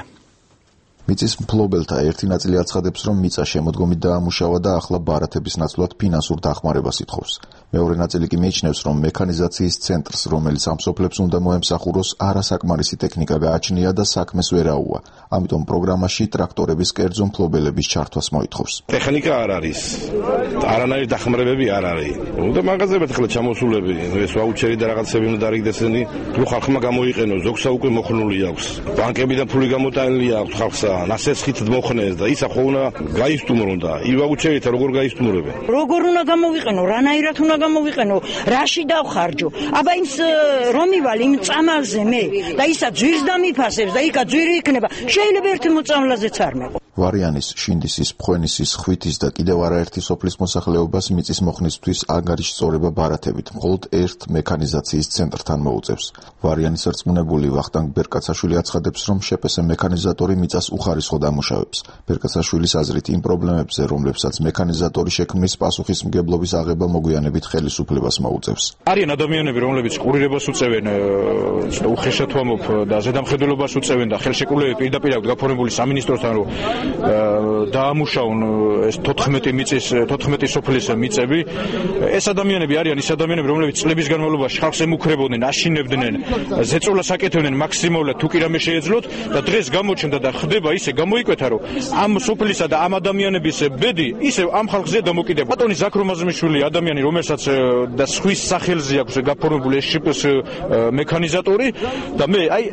მიწის მფლობელთა ერთი ნაწილი აცხადებს, რომ მიწა შემოდგომით დაამუშავა და ახლა ბარათების ნაცვლად ფინანსურ დახმარებას ითხოვს. მეორე ნაწილი კი მიიჩნევს, რომ მექანიზაციის ცენტრს, რომელიც ამ სოფლებს უნდა მოემსახუროს, არასაკმარისი ტექნიკა გააჩნია და საქმეს ვერ აუვა. ამიტომ პროგრამაში ტრაქტორების კერძო მფლობელების ჩართვას მოითხოვს. ტექნიკა არ არის. არანაირი დახმარებები არ არის. უნდა მაღაზიებად ახლა ჩამოსულები, ეს ვაუჩერი და რაღაცები უნდა დარიგდესენი, თუ ხალხმა გამოიყენოს, ზოგსა უკვე მოხნული აქვს. ბანკებიდან ფული გამოტანილი აქვს ხალხსა. ნასესხით მოხნეს და ისა ხო უნდა გაისტუმრონ და ივაუჩერით როგორ გაისტუმრებენ. როგორ უნდა გამოვიყენო, რანაირად უნდა გამოვიყენო, რაში დავხარჯო. აბა იმს რომ მივალ იმ წამალზე მე და ისა ძვირს დამიფასებს და იქა ძვირი იქნება. შეიძლება ერთი მოწამლაზეც არ მეყო. ვარიანის, შინდისის, ფხვენისის, ხვითის და კიდევ არაერთი სოფლის მოსახლეობას მიწის მოხნისთვის ანგარიშწორება ბარათებით მხოლოდ ერთ მექანიზაციის ცენტრთან მოუწევს. ვარიანის რწმუნებული ვახტანგ ბერკაცაშვილი აცხადებს, რომ შეპესე მექანიზატორი მიწას უხარისხოდ ამუშავებს. ბერკაცაშვილის აზრით იმ პრობლემებზე, რომლებსაც მექანიზატორი შექმნის, პასუხისმგებლობის აღება მოგვიანებით ხელისუფლებას მოუწევს. არიან ადამიანები, რომლებიც ყურირებას უწევენ, უხეშად ვამბობ და ზედამხედველობას უწევენ და ხელშეკრულებები პირდაპირ აქვს გაფორმებული სამინისტროსთან, რომ დაამუშავონ ეს თოთხმეტი მიწის თოთხმეტი სოფლის მიწები. ეს ადამიანები არიან ის ადამიანები, რომლებიც წლების განმავლობაში ხალხს ემუქრებოდნენ, აშინებდნენ, ზეწოლას აკეთებდნენ მაქსიმალურად თუ კი რამე შეეძლოთ და დღეს გამოჩნდა და ხდება ისე გამოიკვეთა, რომ ამ სოფლისა და ამ ადამიანების ბედი ისევ ამ ხალხზე დამოკიდებულია. ბატონი ზაქრო მაზრმიშვილი ადამიანი, რომელსაც და სხვის სახელზე აქვს გაფორმებული ეს შიპის მექანიზატორი და მე აი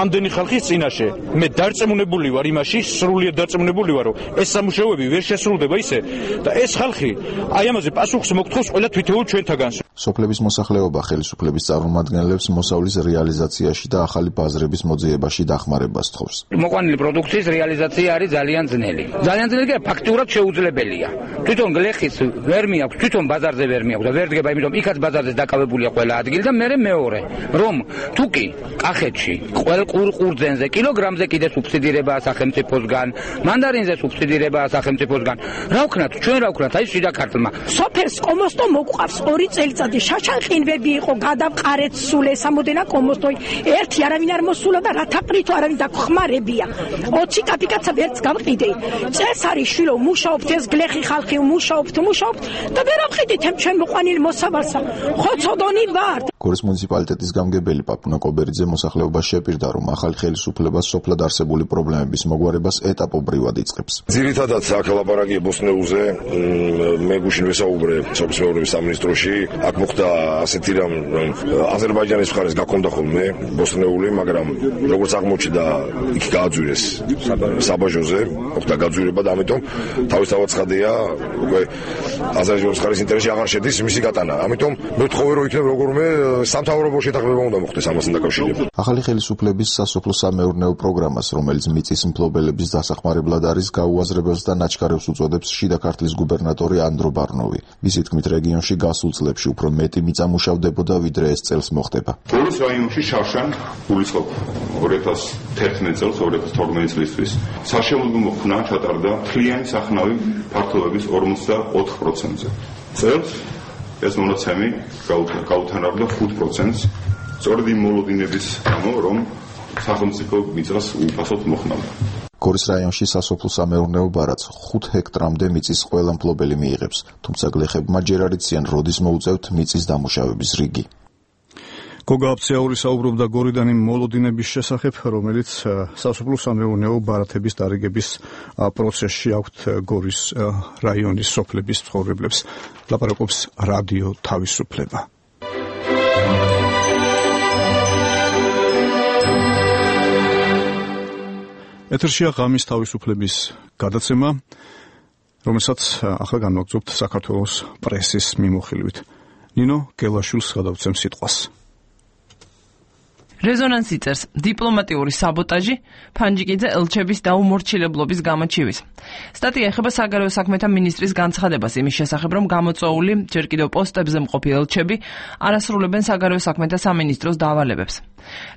ამდენი ხალხის წინაშე მე დარწმუნებული ვარ იმაში, სრულიად დარწმუნებული ვარ, რომ ეს სამუშაოები ვერ შესრულდება ისე და ეს ხალხი აი ამაზე პასუხს მოგთხოვს ყველა თვითეულ ჩვენთაგანს. სოფლების მოსახლეობა ხელისუფლების წარმომადგენლებს მოსავლის რეალიზაციაში და ახალი ბაზრების მოძიებაში დახმარებას თხოვს. მოყვანილი პროდუქციის რეალიზაცია არის ძალიან ძნელი. ძალიან ძნელი და ფაქტურად შეუძლებელია. თვითონ გლეხის ვერ მიაქვს, თვითონ ბაზარზე ვერ მიაქვს და ვერ დგება, იმიტომ იქაც ბაზარზე დაკავებულია ყველა ადგილი და მე მეორე, რომ თუკი კახეთში ყველ ყურძენზე კილოგრამზე კიდე სუბსიდირებაა სახელმწიფოსგან, მანდარინზე სუბსიდირებაა სახელმწიფოსგან. რა ვქნათ, ჩვენ რა ვქნათ, აი შიდა ქართლმა. სოფელს კომოსტო მოყვავს ორი წელიწადი შაშანყინვები იყო, გადავყარეთ სულ ეს ამოდენა კომოსტოი. ერთი არავინ არ მოსულა და რათა პრითო არავინ დაგხმარებია. ოცი კაპიკაცა ვერც გავყიდე. წესარი შვილო მუშაობთ, ეს გლეხი ხალხი მუშაობთ, მუშაობთ და ვერ ამყიდით ამ ჩვენ მოყვანილ მოსავალსა. ხოცოდონი ვარ. გორის მუნიციპალიტეტის გამგებელი პაპუნა კობერიძე მოსახლეობას შეპირდა, რომ ახალი ხელისუფლება სოფლად არსებული პრობლემების მოგვარებას ეტაპობრივად იწყებს. ძირითადად აქ ლაპარაკია ბოსნეულზე, მე გუშინ ვესაუბრე სოფლის მეურნეობის სამინისტროში, აქ მოხდა ასეთი რამ, რომ აზერბაიჯანის მხარეს გაქონდა ხოლმე ბოსნეული, მაგრამ როგორც აღმოჩნდა, იქ გააძვირეს საბაჟოზე, მოხდა გაძვირება და ამიტომ თავისთავად ცხადია, უკვე აზერბაიჯანის მხარის ინტერესში აღარ შედის მისი გატანა. ამიტომ მე ვთხოვე, რომ იქნებ როგორმე სამთავრობო შეთანხმება უნდა მოხდეს ამასთან დაკავშირებით. ახალი ხელისუფლების სასოფლო-სამეურნეო პროგრამას, რომელიც მიწის მფლობელების დასახმარებლად არის, გაუაზრებელს და ნაჩქარევს უწოდებს შიდა ქართლის გუბერნატორი ანდრო ბარნოვი. მისი თქმით, რეგიონში გასულ წლებში უფრო მეტი მიწა მუშავდებოდა, ვიდრე ეს წელს მოხდება. გორის რაიონში შარშან გულისხმობ ორი ათას თერთმეტ წელს, ორი ათას თორმეტ წლისთვის საშემოდგომო ხნა ჩატარდა მთლიანი სახნავი ფართობების ორმოცდაოთხ პროცენტზე. წელს ეს მონაცემი გაუთანაბრდა ხუთ პროცენტს, სწორედ იმ მოლოდინების გამო, რომ სახელმწიფო მიწას უპასოდ მოხმარდა. გორის რაიონში სასოფლო-სამეურნეო ბარათს ხუთ ჰექტრამდე მიწის ყველა მფლობელი მიიღებს, თუმცა გლეხებმა ჯერ არ იციან, როდის მოუწევთ მიწის დამუშავების რიგი. გოგა აფციაური საუბრობდა გორიდან იმ მოლოდინების შესახებ, რომელიც სასოფლო-სამეურნეო ბარათების დარიგების პროცესში აქვთ გორის რაიონის სოფლების მცხოვრებლებს. ლაპარაკობს რადიო თავისუფლება. ეთერშია ღამის თავისუფლების გადაცემა, რომელსაც ახლა განვაგრძობთ საქართველოს პრესის მიმოხილვით. ნინო გელაშვილს გადავცემ სიტყვას. რეზონანსი წერს დიპლომატიური საბოტაჟი ფანჯიკიძე ელჩების დაუმორჩილებლობის გამოჩივის. სტატია ეხება საგარეო საქმეთა მინისტრის განცხადებას იმის შესახებ, რომ გამოწვეული ჯერ კიდევ პოსტებზე მყოფი ელჩები არასრულებენ საგარეო საქმეთა სამინისტროს დავალებებს.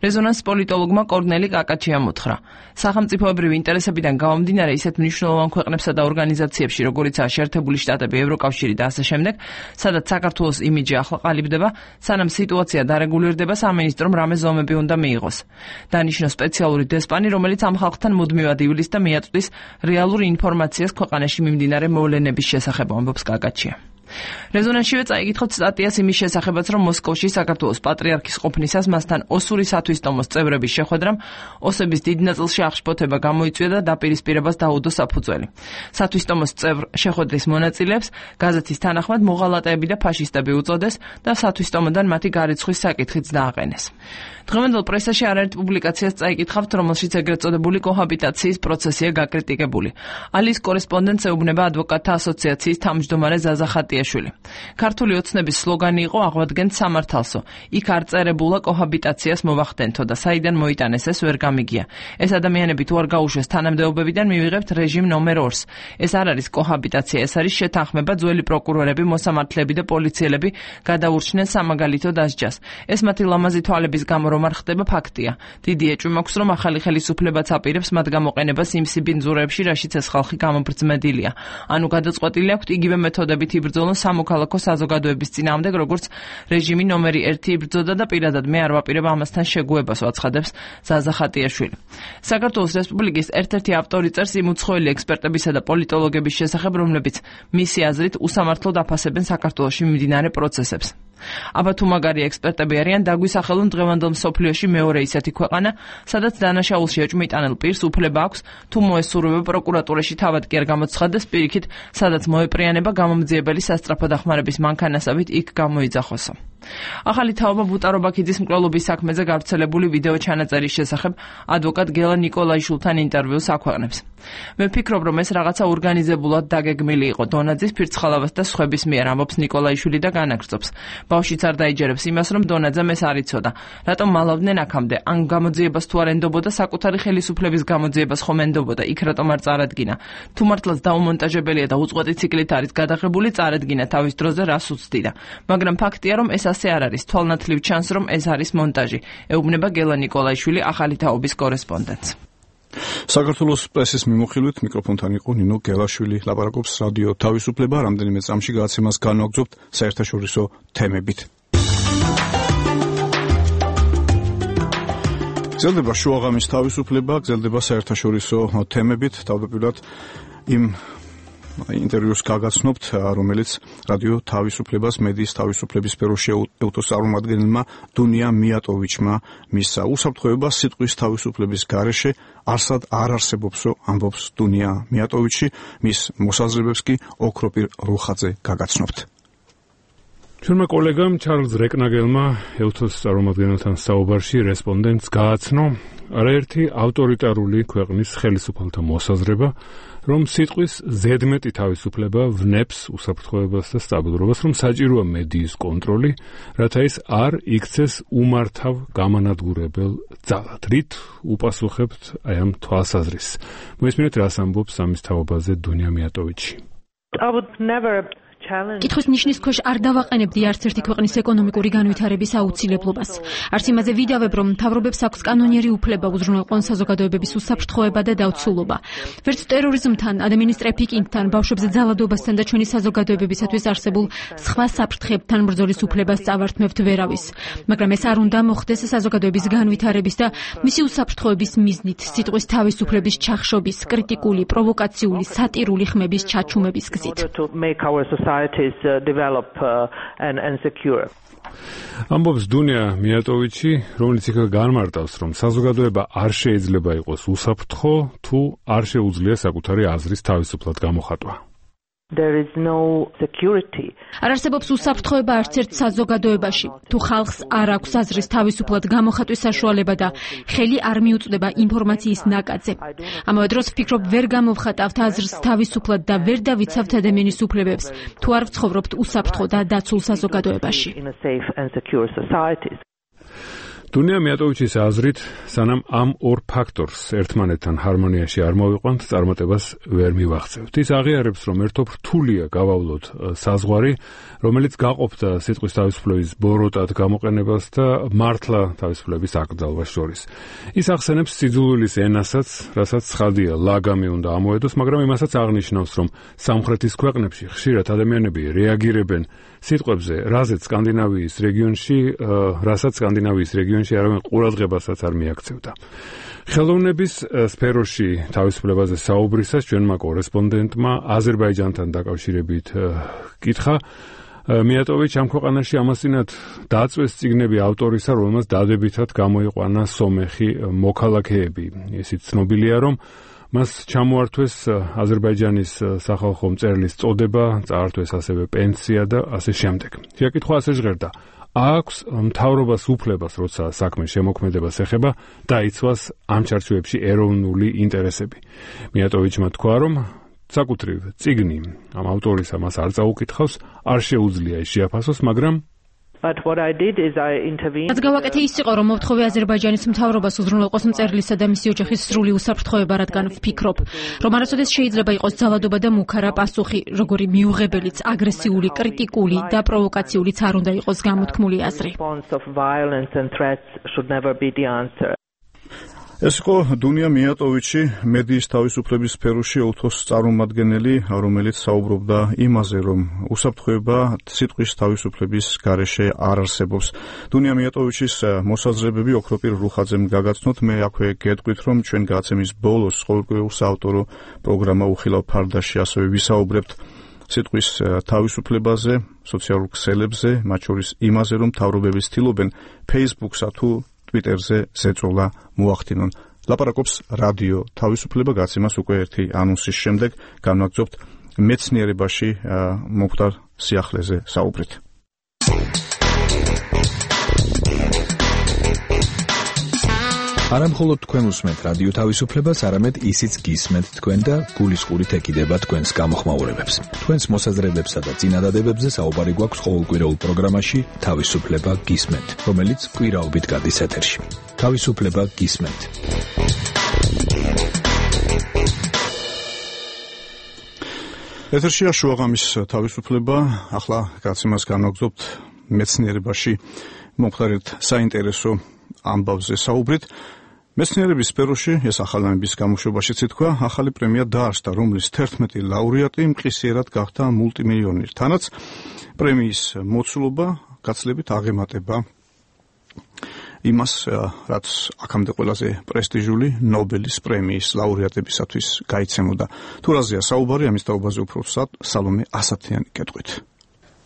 რეზონანს პოლიტოლოგმა კორნელი კაკაჩიამ უთხრა. სახელმწიფოებრივი ინტერესებიდან გამომდინარე ისეთ მნიშვნელოვან ქვეყნებსა და ორგანიზაციებში, როგორიცაა შეერთებული შტატები, ევროკავშირი და ასე შემდეგ, სადაც საქართველოს იმიჯი ახლა ყალიბდება, სანამ სიტუაცია დარეგულირდება, სამინისტრომ რამე ზომები უნდა მიიღოს. დანიშნო სპეციალური დესპანი, რომელიც ამ ხალხთან მუდმივად ივლის და მიაწვდის რეალურ ინფორმაციას ქვეყანაში მიმდინარე მოვლენების შესახებ, ამბობს კაკაჩია. რეზონანსშივე წაიკითხოთ სტატიას იმის შესახებაც, რომ მოსკოვში საქართველოს პატრიარქის ყოფნისას მასთან ოსური სათვისტომოს წევრების შეხვედრამ ოსების დიდ ნაწილში აღშფოთება გამოიწვია და დაპირისპირებას დაუდო საფუძველი. სათვისტომოს წევრ შეხვედრის მონაწილეებს გაზეთის თანახმად მოღალატეები და ფაშისტები უწოდეს და სათვისტომოდან მათი გარიცხვის საკითხიც დააყენეს. დღევანდელ პრესაში არაერთ პუბლიკაციას წაიკითხავთ, რომელშიც ეგრეთ წოდებული კოჰაბიტაციის პროცესია გაკრიტიკებული. ალის კორესპონდენტს ეუბნება ადვოკატთა ასოციაციის თავმჯდომარე ზაზა ხატიაშვილი. ქართული ოცნების სლოგანი იყო აღვადგენთ სამართალსო. იქ არ წერებულა კოჰაბიტაციას მოვახდენთო და საიდან მოიტანეს ეს ვერ გამიგია. ეს ადამიანები თუ არ გაუშვეს თანამდებობებიდან მივიღებთ რეჟიმ ნომერ ორს. ეს არ არის კოჰაბიტაცია, ეს არის შეთანხმება, ძველი პროკურორები, მოსამართლეები და პოლიციელები გადაურჩნენ სამაგალითო დასჯას. ეს მათი ლამაზი თვალების გამო რომ არ ხდება ფაქტია. დიდი ეჭვი მაქვს, რომ ახალი ხელისუფლებაც აპირებს მათ გამოყენებას იმ სიბინძურეებში, რაშიც ეს ხალხი გამობრძმედილია. ანუ გადაწყვეტილი აქვთ იგივე მეთოდებით იბრძოლა საქართველოს სამოქალაქო საზოგადოების წინააღმდეგ, როგორც რეჟიმი ნომერი ერთი იბრძოდა და პირადად მე არ ვაპირებ ამასთან შეგუებას, აცხადებს ზაზა ხატიაშვილი. საქართველოს რესპუბლიკის ერთ-ერთი ავტორი წერს იმ უცხოელი ექსპერტებისა და პოლიტოლოგების შესახებ, რომლებიც მისი აზრით უსამართლოდ აფასებენ საქართველოში მიმდინარე პროცესებს. აბა თუ მაგარი ექსპერტები არიან, დაგვისახელონ დღევანდელ მსოფლიოში მეორე ისეთი ქვეყანა, სადაც დანაშაულში ეჭვმიტანილ პირს უფლება აქვს თუ მოესურვება პროკურატურაში თავად კი არ გამოცხადდეს, პირიქით, სადაც მოეპრიანება გამომძიებელი სასწრაფო დახმარების მანქანასავით იქ გამოიძახოსო. ახალი თაობა ბუტარო ბაქიძის მკვლელობის საქმეზე გავრცელებული ვიდეო ჩანაწერის შესახებ ადვოკატ გელა ნიკოლაიშვილთან ინტერვიუს აქვეყნებს. მე ვფიქრობ, რომ ეს რაღაცა ორგანიზებულად დაგეგმილი იყო დონაძის, ფირცხალავას და სხვების მიერ, ამბობს ნიკოლაიშვილი და განაგრძობს. ბავშვიც არ დაიჯერებს იმას, რომ დონაძემ ეს არ იცოდა. რატომ მალავდნენ აქამდე? ან გამოძიებას თუ არ ენდობოდა, საკუთარი ხელისუფლების გამოძიებას ხომ ენდობოდა, იქ რატომ არ წარადგინა? თუ მართლაც დაუმონტაჟებელია და უწყვეტი ციკლით არის გადაღებული, წარადგინა თავის დროზე, რას უცდიდა. მაგრამ ფაქტია, რომ ეს ასე არ არის. თვალნათლივ ჩანს, რომ ეს არის მონტაჟი. ეუბნება გელა ნიკოლაიშვილი, ახალი თაობის კორესპონდენტს. საქართველოს პრესის მიმოხილვით მიკროფონთან იყო ნინო გელაშვილი. ლაპარაკობს რადიო თავისუფლება. რამდენიმე წამში გადაცემას განვაგრძობთ საერთაშორისო თემებით. გრძელდება შუაღამის თავისუფლება, გრძელდება საერთაშორისო თემებით. თავდაპირველად იმ ინტერვიუს გაგაცნობთ, რომელიც რადიო თავისუფლებას მედიის თავისუფლების სფეროს შეუერთოს წარმომადგენელმა დუნია მიატოვიჩმა მისცა. უსაფრთხოება სიტყვის თავისუფლების გარეშე არსად არ არსებობსო, ამბობს დუნია მიატოვიჩი, მის მოსაზრებებს კი ოქროპირ რუხაძე გაგაცნობთ. ჩვენმა კოლეგამ ჩარლზ რეკნაგელმა ელთოს წარმომადგენელთან საუბარში რესპონდენტს გააცნო არაერთი ავტორიტარული ქვეყნის ხელისუფალთა მოსაზრება, რომ სიტყვის ზედმეტი თავისუფლება ვნებს უსაფრთხოებას და სტაბილურობას, რომ საჭიროა მედიის კონტროლი, რათა ის არ იქცეს უმართავ გამანადგურებელ ძალად. რით უპასუხებთ აი ამ თვალსაზრისს? მოისმინეთ, რას ამბობს ამის თაობაზე დუნია მიატოვიჩი. I would never კითხვის ნიშნის ქვეშ არ დავაყენებდი არც ერთი ქვეყნის ეკონომიკური განვითარების აუცილებლობას. არც იმაზე ვიდავებ, რომ მთავრობებს აქვს კანონიერი უფლება უზრუნველყონ საზოგადოებების უსაფრთხოება და დავცულობა. ვერც ტერორიზმთან, ადამიანის ტრაფიკინგთან, ბავშვებზე ძალადობასთან და ჩვენი საზოგადოებებისათვის არსებულ სხვა საფრთხეებთან ბრძოლის უფლებას წავართმევთ ვერავის. მაგრამ ეს არ უნდა მოხდეს საზოგადოების განვითარების და მისი უსაფრთხოების მიზნით, სიტყვის თავისუფლების ჩახშობის, კრიტიკული, პროვოკაციული, სატირული ხმების ჩაჩუმების გზით. societies uh, develop uh, and, and secure. ამბობს დუნია მიატოვიჩი, რომელიც იქ განმარტავს, რომ საზოგადოება არ შეიძლება იყოს უსაფრთხო, თუ არ შეუძლია საკუთარი აზრის თავისუფლად გამოხატვა. There is no security. არ არსებობს უსაფრთხოება არც ერთ საზოგადოებაში, თუ ხალხს არ აქვს აზრის თავისუფლად გამოხატვის საშუალება და ხელი არ მიუწვდება ინფორმაციის ნაკადზე. ამავე დროს ვფიქრობ, ვერ გამოვხატავთ აზრს თავისუფლად და ვერ დავიცავთ ადამიანის უფლებებს, თუ არ ვცხოვრობთ უსაფრთხო და დაცულ საზოგადოებაში. დუნია მიატოვიჩის აზრით, სანამ ამ ორ ფაქტორს ერთმანეთთან ჰარმონიაში არ მოვიყვანთ, წარმატებას ვერ მივაღწევთ. ის აღიარებს, რომ ერთობ რთულია გავავლოთ საზღვარი, რომელიც გაყოფდა სიტყვის თავისუფლების ბოროტად გამოყენებას და მართლა თავისუფლების აკრძალვას შორის. ის ახსენებს სიძულვილის ენასაც, რასაც ცხადია ლაგამი უნდა ამოედოს, მაგრამ იმასაც აღნიშნავს, რომ სამხრეთის ქვეყნებში ხშირად ადამიანები რეაგირებენ სიტყვებზე, რაზეც სკანდინავიის რეგიონში, რასაც სკანდინავიის რეგიონში არავინ ყურადღებასაც არ მიაქცევდა. ხელოვნების სფეროში თავისუფლებაზე საუბრისას ჩვენმა კორესპონდენტმა აზერბაიჯანთან დაკავშირებით კითხა, მიატოვიჩ ამ ქვეყანაში ამასწინათ დაწვეს წიგნები ავტორისა, რომელმაც დადებითად გამოიყვანა სომეხი მოქალაქეები. ისიც ცნობილია, რომ მას ჩამოართვეს აზერბაიჯანის სახალხო მწერლის წოდება, წაართვეს ასევე პენსია და ასე შემდეგ. შეკითხვა ასე ჟღერდა: აქვს მთავრობას უფლებას, როცა საქმე შემოქმედებას ეხება, დაიცვას ამ ჩარჩოებში ეროვნული ინტერესები. მიატოვიჩმა თქვა, რომ საკუთრივ წიგნი ამ ავტორისა მას არ წაუკითხავს, არ შეუძლია ის შეაფასოს, მაგრამ But what I did is I intervened. რაც გავაკეთე ის იყო, რომ მოვთხოვე აზერბაიჯანის მთავრობას უზრუნველყოს მწერლისა და მისი ოჯახის სრული უსაფრთხოება, რადგან ვფიქრობ, რომ არასოდეს შეიძლება იყოს ძალადობა და მუქარა პასუხი, როგორი მიუღებელიც, აგრესიული, კრიტიკული და პროვოკაციულიც არ უნდა იყოს გამოთქმული აზრი. ეს იყო დუნია მიატოვიჩი, მედიის თავისუფლების სფეროში ოქროს წარმომადგენელი, რომელიც საუბრობდა იმაზე, რომ უსაფრთხოება სიტყვის თავისუფლების გარეშე არ არსებობს. დუნია მიატოვიჩის მოსაზრებები ოქროპირ რუხაძემ გაგაცნოთ. მე აქვე გეტყვით, რომ ჩვენ გადაცემის ბოლოს ყოველკვირეულ საავტორო პროგრამა უხილავ ფარდაში ასევე ვისაუბრებთ სიტყვის თავისუფლებაზე, სოციალურ ქსელებზე, მათ შორის იმაზე, რომ მთავრობები ცდილობენ Facebook-სა თუ Twitter-ზე ზეწოლა მოახდინონ. ლაპარაკობს რადიო თავისუფლება გაცემას უკვე ერთი ანონსის შემდეგ განვაგრძობთ მეცნიერებაში მომხდარ სიახლეზე საუბრით. არა მხოლოდ თქვენ უსმენთ რადიო თავისუფლებას, არამედ ისიც გისმენთ თქვენ და გულისყურით ეკიდება თქვენს გამოხმაურებებს. თქვენს მოსაზრებებსა და წინადადებებზე საუბარი გვაქვს ყოველკვირეულ პროგრამაში თავისუფლება გისმენთ, რომელიც კვირაობით გადის ეთერში. თავისუფლება გისმენთ. ეთერშია შუაღამის თავისუფლება, ახლა გაცემას განვაგრძობთ მეცნიერებაში მომხდარ საინტერესო ამბავზე საუბრით. მეცნიერების სფეროში ეს ახალამების გამოშვებაშიც ითქვა, ახალი პრემია დაარსდა, რომლის თერთმეტი ლაურეატი მყისიერად გახდა მულტიმილიონერი. თანაც პრემიის მოცულობა გაცილებით აღემატება იმას, რაც აქამდე ყველაზე პრესტიჟული ნობელის პრემიის ლაურეატებისათვის გაიცემოდა. თუ რაზეა საუბარი, ამის თაობაზე უფრო სალომე ასათიანი გეტყვით.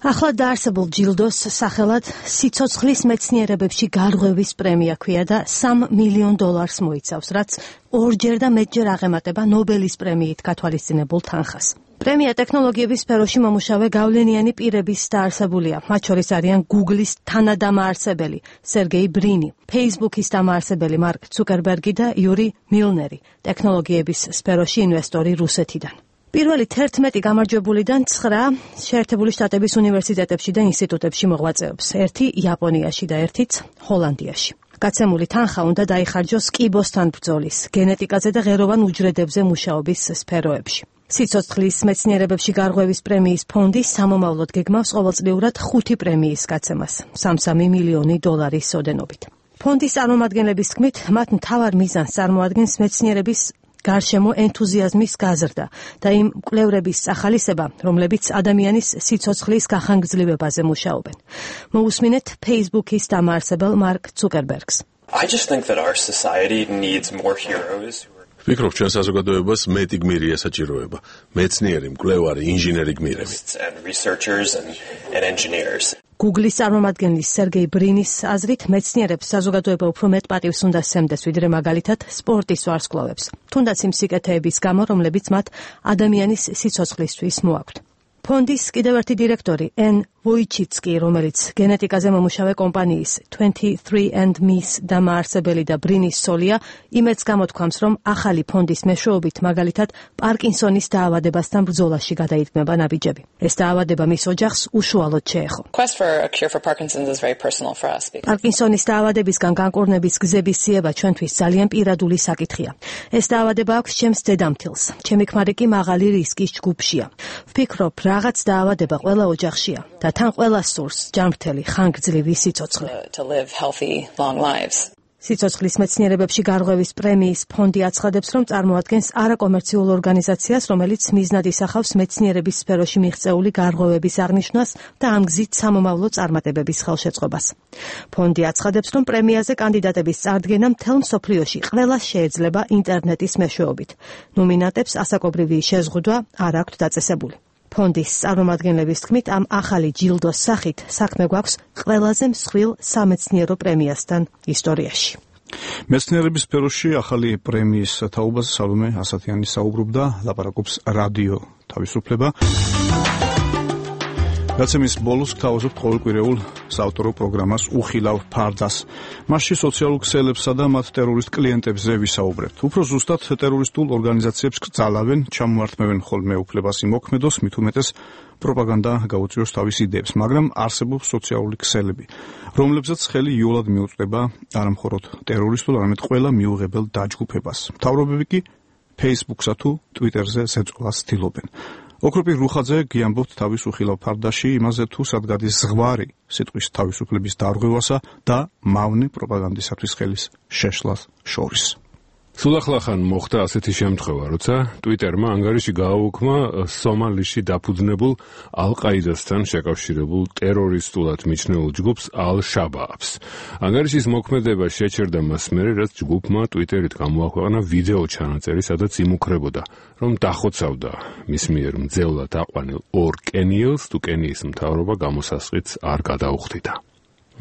ახლა დაარსებულ ჯილდოს სახელად სიცოცხლის მეცნიერებებში გარღვევის პრემია ქვია და სამ მილიონ დოლარს მოიცავს, რაც ორჯერ და მეტჯერ აღემატება ნობელის პრემიით გათვალისწინებულ თანხას. პრემია ტექნოლოგიების სფეროში მომუშავე გავლენიანი პირების დაარსებულია. მათ შორის არიან Google-ის თანადამაარსებელი სერგეი ბრინი, Facebook-ის დამაარსებელი მარკ ცუკერბერგი და იური მილნერი, ტექნოლოგიების სფეროში ინვესტორი რუსეთიდან. პირველი თერთმეტი გამარჯვებულიდან ცხრა შეერთებული შტატების უნივერსიტეტებში და ინსტიტუტებში მოღვაწეობს, ერთი იაპონიაში და ერთიც ჰოლანდიაში. გაცემული თანხა უნდა დაიხარჯოს კიბოსთან ბრძოლის, გენეტიკაზე და ღეროვან უჯრედებზე მუშაობის სფეროებში. სიცოცხლის მეცნიერებებში გარღვევის პრემიის ფონდი სამომავლოდ გეგმავს ყოველწლიურად ხუთი პრემიის გაცემას, სამსამი მილიონი დოლარის ოდენობით. ფონდის წარმომადგენლების თქმით, მათ მთავარ მიზანს წარმოადგენს მეცნიერების გარშემო ენთუზიაზმის გაზრდა და იმ კვლევრების ახალისება, რომლებიც ადამიანის სიცოცხლის გახანგრძლივებაზე მუშაობენ. მოусმინეთ Facebook-ის დამაარსებელ მარკ ცუკერბერგს. I just think that our society needs more heroes. ვფიქრობ, ჩვენ საზოგადოებას მეტი გმირი ესაჭიროება. მეცნიერი, მკვლევარი, ინჟინერი გმირები. And researchers and, and engineers. Google-ის წარმომადგენლის სერგეი ბრინის აზრით მეცნიერებს საზოგადოება უფრო მეტ პატივს უნდა სცემდეს, ვიდრე მაგალითად სპორტის ვარსკვლავებს, თუნდაც იმ სიკეთეების გამო, რომლებიც მათ ადამიანის სიცოცხლისთვის მოაქვთ. ფონდის კიდევ ერთი დირექტორი ენ ვოიჩიცკი, რომელიც გენეტიკაზე მომუშავე კომპანიის twenty-three and me-ის დამაარსებელი და ბრინის სოლია, იმედს გამოთქვამს, რომ ახალი ფონდის მეშვეობით მაგალითად პარკინსონის დაავადებასთან ბრძოლაში გადაიდგმება ნაბიჯები. ეს დაავადება მის ოჯახს უშუალოდ შეეხო. Quest for a cure for Parkinson's is very personal for us. პარკინსონის დაავადებისგან განკურნების გზების ძიება ჩვენთვის ძალიან პირადული საკითხია. ეს დაავადება აქვს ჩემს დედამთილს, ჩემი ქმარი კი მაღალი რისკის ჯგუფშია. ვფიქრობ, რაღაც დაავადება ყველა ოჯახშია და თან ყველას სურს ჯანმრთელი ხანგრძლივი სიცოცხლე. To live healthy long lives. სიცოცხლის მეცნიერებებში გარღვევის პრემიის ფონდი აცხადებს, რომ წარმოადგენს არაკომერციულ ორგანიზაციას, რომელიც მიზნად ისახავს მეცნიერების სფეროში მიღწეული გარღვევების აღნიშვნას და ამ გზით სამომავლო წარმატებების ხელშეწყობას. ფონდი აცხადებს, რომ პრემიაზე კანდიდატების წარდგენა მთელ მსოფლიოში ყველას შეეძლება ინტერნეტის მეშვეობით. ნომინანტებს ასაკობრივი შეზღუდვა არ აქვთ დაწესებული. ფონდის წარმომადგენლების თქმით, ამ ახალი ჯილდოს სახით საქმე გვაქვს ყველაზე მსხვილ სამეცნიერო პრემიასთან ისტორიაში. მეცნიერების სფეროში ახალი პრემიის თაობაზე სალომე ასათიანი საუბრობდა, ლაპარაკობს რადიო თავისუფლება. გაცემის ბოლოს გთავაზობთ ყოველკვირეულ საავტორო პროგრამას უხილავ ფარდას. მასში სოციალურ ქსელებსა და მათ ტერორისტ კლიენტებზე ვისაუბრებთ. უფრო ზუსტად ტერორისტულ ორგანიზაციებს კრძალავენ, ჩამოართმევენ ხოლმე უფლებას იმოქმედოს, მით უმეტეს პროპაგანდა გაუწიოს თავის იდეებს, მაგრამ არსებობს სოციალური ქსელები, რომლებზეც ხელი იოლად მიუწვდება არა მხოლოდ ტერორისტულ, არამედ ყველა მიუღებელ დაჯგუფებას. მთავრობები კი Facebook-სა თუ Twitter-ზე ზეწოლას ცდილობენ. ოქროპირ რუხაძე გიამბობთ თავის უხილავ ფარდაში იმაზე, თუ სად გადის ზღვარი სიტყვის თავისუფლების დარღვევასა და მავნე პროპაგანდისათვის ხელის შეშლას შორის. სულ ახლახან მოხდა ასეთი შემთხვევა, როცა ტვიტერმა ანგარიში გააუქმა სომალიში დაფუძნებულ ალ-ყაიდასთან შეკავშირებულ ტერორისტულად მიჩნეულ ჯგუფს ალ-შაბააბს. ანგარიშის მოქმედება შეჩერდა მას მერე, რაც ჯგუფმა ტვიტერით გამოაქვეყნა ვიდეო ჩანაწერი, სადაც იმუქრებოდა, რომ დახოცავდა მის მიერ მძევლად აყვანილ ორ კენიელს, თუ კენიის მთავრობა გამოსასყიდს არ გადაუხდიდა.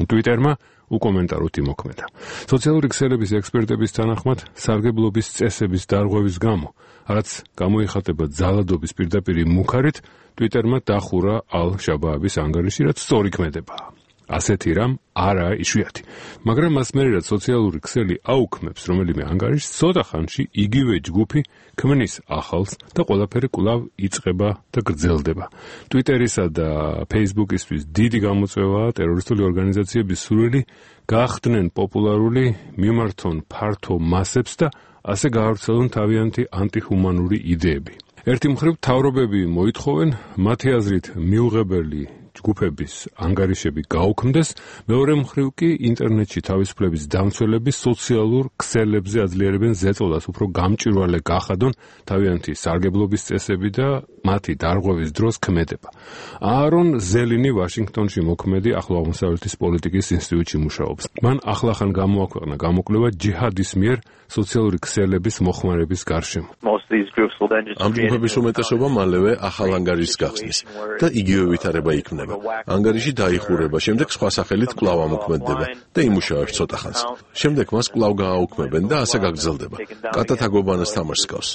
ტვიტერმა უკომენტაროთ იმოქმედა. სოციალური ქსელების ექსპერტების თანახმად, სარგებლობის წესების დარღვევის გამო, რაც გამოიხატება ძალადობის პირდაპირი მუქარით, ტვიტერმა დახურა ალ-შაბააბის ანგარიში, რაც სწორი ქმედებაა. ასეთი რამ არაა იშვიათი. მაგრამ მას მერე, რაც სოციალური ქსელი აუქმებს რომელიმე ანგარიშს, ცოტა ხანში იგივე ჯგუფი ქმნის ახალს და ყველაფერი კვლავ იწყება და გრძელდება. ტვიტერისა და ფეისბუქისთვის დიდი გამოწვევაა ტერორისტული ორგანიზაციების სურვილი გახდნენ პოპულარული, მიმართონ ფართო მასებს და ასე გაავრცელონ თავიანთი ანტიჰუმანური იდეები. ერთი მხრივ მთავრობები მოითხოვენ მათი აზრით მიუღებელი ჯგუფების ანგარიშები გაუქმდეს, მეორე მხრივ კი ინტერნეტში თავისუფლების დამცველები სოციალურ ქსელებზე აძლიერებენ ზეწოლას უფრო გამჭვირვალე გახადონ თავიანთი სარგებლობის წესები და მათი დარღვევის დროს ქმედება. აარონ ზელინი ვაშინგტონში მოქმედი ახლო აღმოსავლეთის პოლიტიკის ინსტიტუტში მუშაობს. მან ახლახან გამოაქვეყნა გამოკვლევა ჯიჰადის მიერ სოციალური ქსელების მოხმარების გარშემო. ამ ჯგუფების უმეტესობა მალევე ახალ ანგარიშს გახსნის და იგივე ვითარება იქმნება. ანგარიში დაიხურება, შემდეგ სხვა სახელით კვლავ ამოქმედდება და იმუშავებს ცოტა ხანს. შემდეგ მას კვლავ გააუქმებენ და ასე გაგრძელდება. კატათაგობანას თამაშს გავს.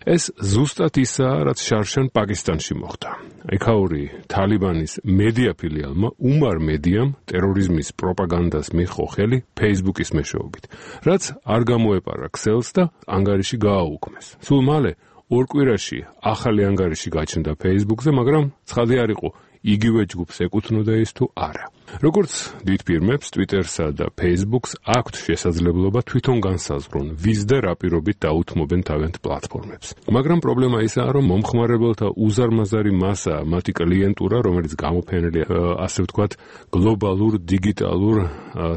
ეს ზუსტად ისაა, რაც შარშან პაკისტანში მოხდა. ექაური თალიბანის მედია ფილიალმა უმარ მედიამ ტერორიზმის პროპაგანდას მიჰყო ხელი ფეისბუქის მეშვეობით, რაც არ გამოეპარა ქსელს და ანგარიში გააუქმეს. სულ მალე ორ კვირაში ახალი ანგარიში გაჩნდა ფეისბუქზე, მაგრამ ცხადი არ იყო იგივე ჯგუფს ეკუთვნოდა ის თუ არა. როგორც დიდ ფირმებს, ტვიტერსა და ფეისბუქს აქვთ შესაძლებლობა თვითონ განსაზღვრონ, ვის და რა პირობით დაუთმობენ თავიანთ პლატფორმებს. მაგრამ პრობლემა ისაა, რომ მომხმარებელთა უზარმაზარი მასა, მათი კლიენტურა, რომელიც გამოფენილია, ასე ვთქვათ, გლობალურ დიგიტალურ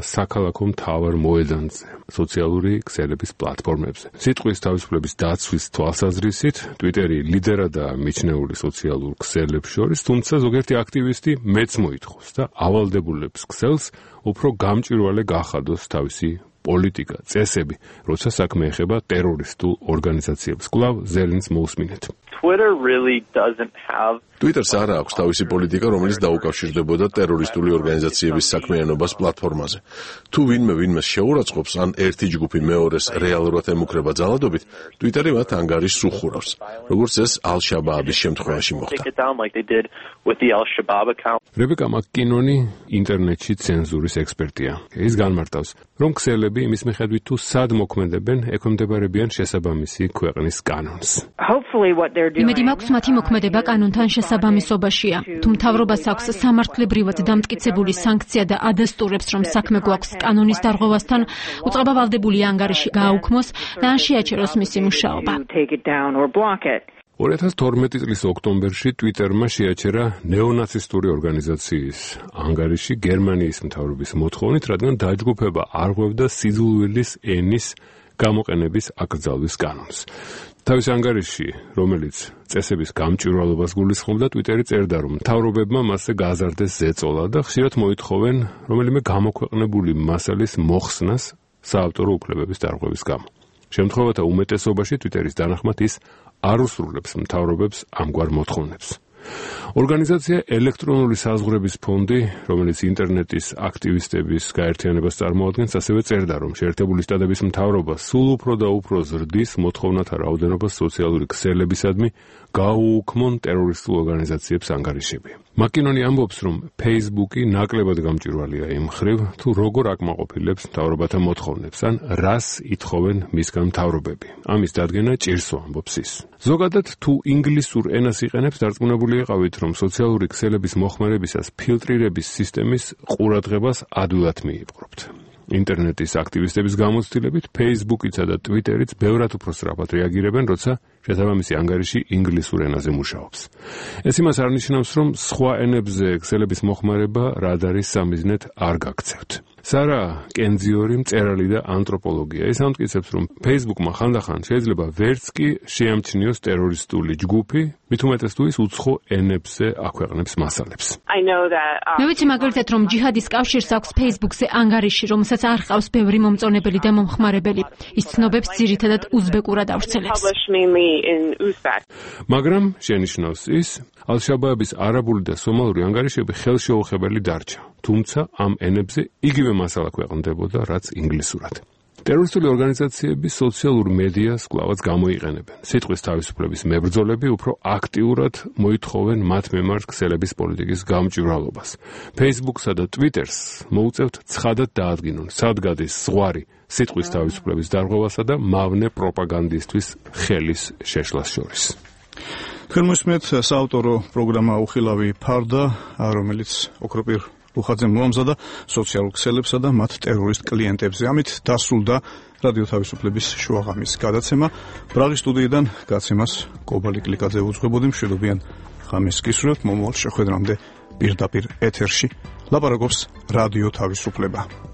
საქალაქო მთავარ მოედანზე, სოციალური ქსელების პლატფორმებზე. სიტყვის თავისუფლების დაცვის თვალსაზრისით, ტვიტერი ლიდერადაა მიჩნეული სოციალურ ქსელებს შორის, თუმცა ზოგიერთი აქტივისტი მეც მოითხოვს და ავალდებულებს ქსელს უფრო გამჭვირვალე გახადოს თავისი პოლიტიკა, წესები, როცა საქმე ეხება ტერორისტულ ორგანიზაციებს. კვლავ ზელინს მოусმინეთ. Twitter really doesn't have Twitter-ს არ აქვს თავისი პოლიტიკა, რომელიც დაუკავშირდებოდა ტერორისტული ორგანიზაციების საქმიანობას პლატფორმაზე. თუ ვინმე ვინმეს შეურაცხყოფს, ან ერთი ჯგუფი მეორეს რეალურად ემუქრება ძალადობით, Twitter-ი მათ ანგარიშს უხურავს, როგორც ეს ალ-შაბააბის შემთხვევაში მოხდა. რებეკა მაკკინონი ინტერნეტში ცენზურის ექსპერტია. ის განმარტავს, რომ ქსელები იმის მიხედვით თუ სად მოქმედებენ, ექვემდებარებიან შესაბამისი ქვეყნის კანონს. იმედი მაქვს მათი მოქმედება კანონთან შესაბამისობაშია. თუ მთავრობას აქვს სამართლებრივად დამტკიცებული სანქცია და ადასტურებს, რომ საქმე გვაქვს კანონის დარღვევასთან, უწყება ვალდებულია ანგარიში გააუქმოს და ან შეაჩეროს მისი მუშაობა. ორი ათას თორმეტი წლის ოქტომბერში ტვიტერმა შეაჩერა ნეონაცისტური ორგანიზაციის ანგარიში გერმანიის მთავრობის მოთხოვნით, რადგან დაჯგუფება არღვევდა სიძულვილის ენის გამოყენების აკრძალვის კანონს. თავის ანგარიში, რომელიც წესების გამჭვირვალობას გულისხმობდა, ტვიტერი წერდა, რომ მთავრობებმა მასზე გააზარდეს ზეწოლა და ხშირად მოითხოვენ რომელიმე გამოქვეყნებული მასალის მოხსნას საავტორო უფლებების დარღვევის გამო. შემთხვევათა უმეტესობაში ტვიტერის დანახმად ის არ უსრულებს მთავრობებს ამგვარ მოთხოვნებს. ორგანიზაცია ელექტრონული საზღვრების ფონდი, რომელიც ინტერნეტის აქტივისტების გაერთიანებას წარმოადგენს, ასევე წერდა, რომ შეერთებული შტატების მთავრობა სულ უფრო და უფრო ზრდის მოთხოვნათა რაოდენობას სოციალური ქსელებისადმი გაუუქმონ ტერორისტულ ორგანიზაციებს ანგარიშები. მაკკინონი ამბობს, რომ ფეისბუქი ნაკლებად გამჭვირვალეა იმ მხრივ, თუ როგორ აკმაყოფილებს მთავრობათა მოთხოვნებს, ან რას ითხოვენ მისგან მთავრობები. ამის დადგენა ჭირსო, ამბობს ის. ზოგადად, თუ ინგლისურ ენას იყენებს, დარწმუნებული იყავით, რომ სოციალური ქსელების მოხმარებისას ფილტრირების სისტემის ყურადღებას ადვილად მიიპყრობთ. ინტერნეტის აქტივისტების გამოცდილებით ფეისბუქიცა და ტვიტერიც ბევრად უფრო სწრაფად რეაგირებენ, როცა შესაბამისი ანგარიში ინგლისურ ენაზე მუშაობს. ეს იმას არ ნიშნავს, რომ სხვა ენებზე ქსელების მოხმარება რადარის სამიზნედ არ გაქცევთ. სარა კენძიორი მწერალი და ანთროპოლოგია. ის ამტკიცებს, რომ Facebook-მა ხანდახან შეიძლება ვერც კი შეამჩნიოს ტერორისტული ჯგუფი, მით უმეტეს თუ ის უცხო ენებზე აქვეყნებს მასალებს. მე ვიცი მაგალითად, რომ ჯიჰადის კავშირს აქვს Facebook-ზე ანგარიში, რომელსაც არ ჰყავს ბევრი მომწონებელი და მომხმარებელი. ის ცნობებს ძირითადად უზბეკურად ავრცელებს. მაგრამ შენიშნავს ის, ალ-შაბააბის არაბული და სომალური ანგარიშები ხელშეუხებელი დარჩა. თუმცა ამ ენებზე იგივე მასალა ქვეყნდებოდა, რაც ინგლისურად. ტერორისტული ორგანიზაციები სოციალურ მედიას კვლავაც გამოიყენებენ. სიტყვის თავისუფლების მებრძოლები უფრო აქტიურად მოითხოვენ მათ მიმართ ქსელების პოლიტიკის გამჭვირვალობას. Facebook-სა და Twitter-ს მოუწევთ ცხადად დაადგინონ, სად გადის ზღვარი სიტყვის თავისუფლების დარღვევასა და მავნე პროპაგანდისტვის ხელის შეშლას შორის. თქვენ მოსმენთ საავტორო პროგრამა უხილავი ფარდა, რომელიც ოქროპირ უხაძემ მოამზადა სოციალურ ქსელებსა და მათ ტერორისტ კლიენტებზე. ამით დასრულდა რადიო თავისუფლების შუაღამის გადაცემა. ბრაღის სტუდიიდან გაცემას კობალი კლიკაძე უძღვებოდი. მშვიდობიან ღამეს გისურვებთ. მომავალ შეხვედრამდე პირდაპირ ეთერში ლაპარაკობს რადიო თავისუფლება.